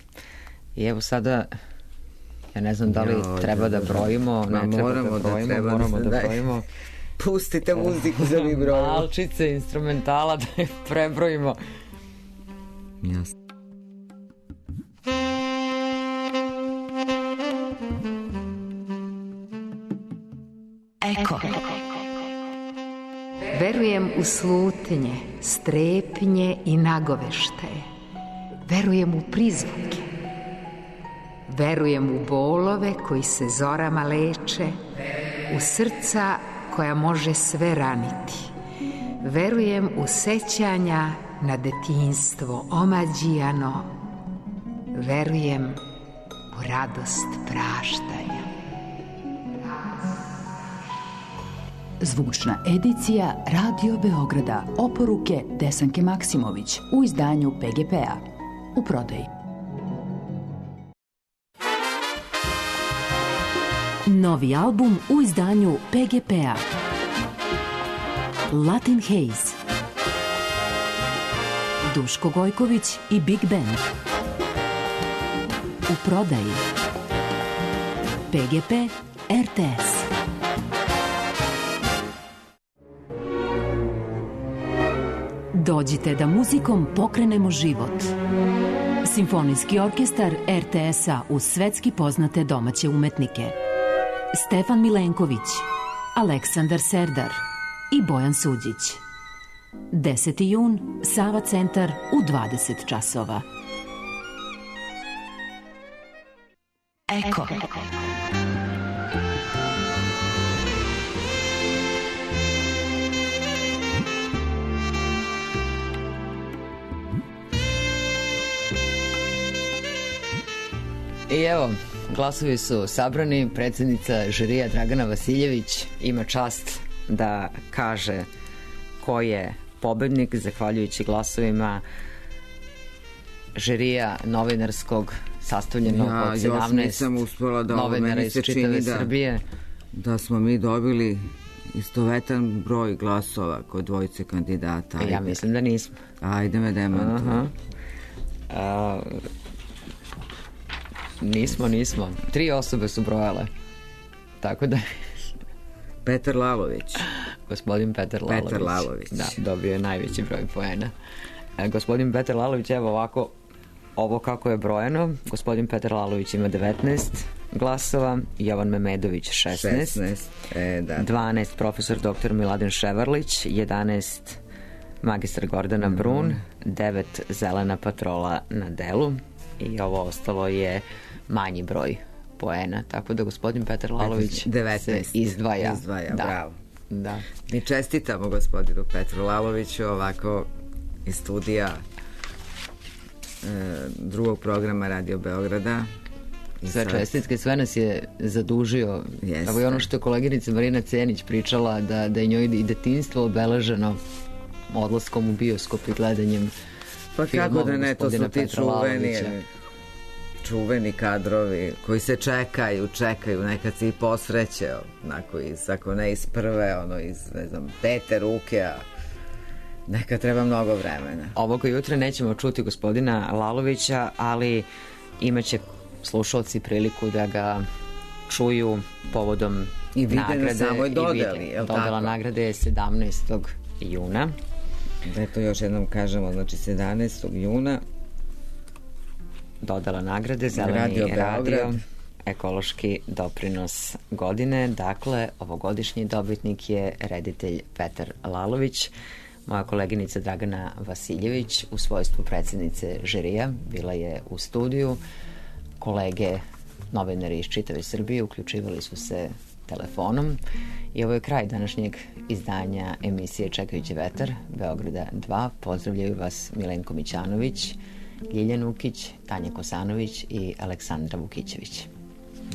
I evo sada, ja ne znam da li jo, treba da brojimo, ne treba moramo da brojimo, da treba moramo da, da brojimo. Pustite muziku za mi brojimo. Malčice, instrumentala da je prebrojimo. Jasno. Eko. Verujem u slutnje, strepnje i nagoveštaje. Verujem u prizvuke. Verujem u bolove koji se zorama leče, u srca koja može sve raniti. Verujem u sećanja na detinjstvo omađijano. Verujem u radost praštanja. Zvučna edicija Radio Beograda. Oporuke Desanke Maksimović u izdanju P G P-a. U prodaji. Novi album u izdanju P G P-a. Latin Haze. Duško Gojković i Big Band. U prodaji. P G P R T S. Dođite da muzikom pokrenemo život. Simfonijski orkestar R T S-a uz svetski poznate domaće umetnike. Stefan Milenković, Aleksandar Serdar i Bojan Suđić. deseti jun, Sava centar u dvadeset časova. Eko. I evo, glasovi su sabrani. Predsjednica žirija Dragana Vasiljević ima čast da kaže ko je pobednik zahvaljujući glasovima žirija novinarskog sastavljenog ja, od sedamnaest da novinara iz čitave da, Srbije. Da smo mi dobili istovetan broj glasova kod dvojice kandidata. Ajde. Ja mislim da nismo. Ajde me demantuj. A, nismo, nismo. Tri osobe su brojale. Tako da... Petar Lalović. Gospodin Petar Lalović. Petar Lalović. Da, dobio je najveći broj poena. E, gospodin Petar Lalović, evo ovako, ovo kako je brojeno. Gospodin Petar Lalović ima devetnaest glasova, Jovan Memedović šesnaest, šesnaest. E, da. dvanaest profesor doktor Miladin Ševarlić, jedanaest magistar Gordana Brun, mm. devet Zelena patrola na delu i ovo ostalo je manji broj poena, tako da gospodin Petar Lalović devetnaest se izdvaja. Izdvaja, da. Bravo. Da. Mi čestitamo gospodinu Petru Laloviću ovako iz studija e, drugog programa Radio Beograda. Sve čestitke, sve nas je zadužio. Jeste. Evo i ono što je koleginica Marina Cenić pričala, da, da je njoj i detinjstvo obeleženo odlaskom u bioskop i gledanjem pa filmova kako da ne, to su ti čuveni, čuveni kadrovi koji se čekaju, čekaju, nekad se i posreće, onako iz, ako ne iz prve, ono iz, ne znam, pete ruke, a nekad treba mnogo vremena. Ovoga jutra nećemo čuti gospodina Lalovića, ali imaće slušalci priliku da ga čuju povodom i vide nagrade na samoj dodeli, i vide. Dodela nagrade je sedamnaestog juna. Da to još jednom kažemo, znači sedamnaestog juna dodela nagrade Zeleni radio, radio ekološki doprinos godine. Dakle, ovogodišnji dobitnik je reditelj Petar Lalović. Moja koleginica Dragana Vasiljević u svojstvu predsjednice žirija bila je u studiju. Kolege novinari iz čitave Srbije uključivali su se telefonom i ovo je kraj današnjeg izdanja emisije Čekajući vetar Beograda dva. Pozdravljaju vas Milenko Mićanović, Ljiljan Ukić, Tanja Kosanović i Aleksandra Vukićević.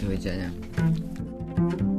Doviđenja. Thank you.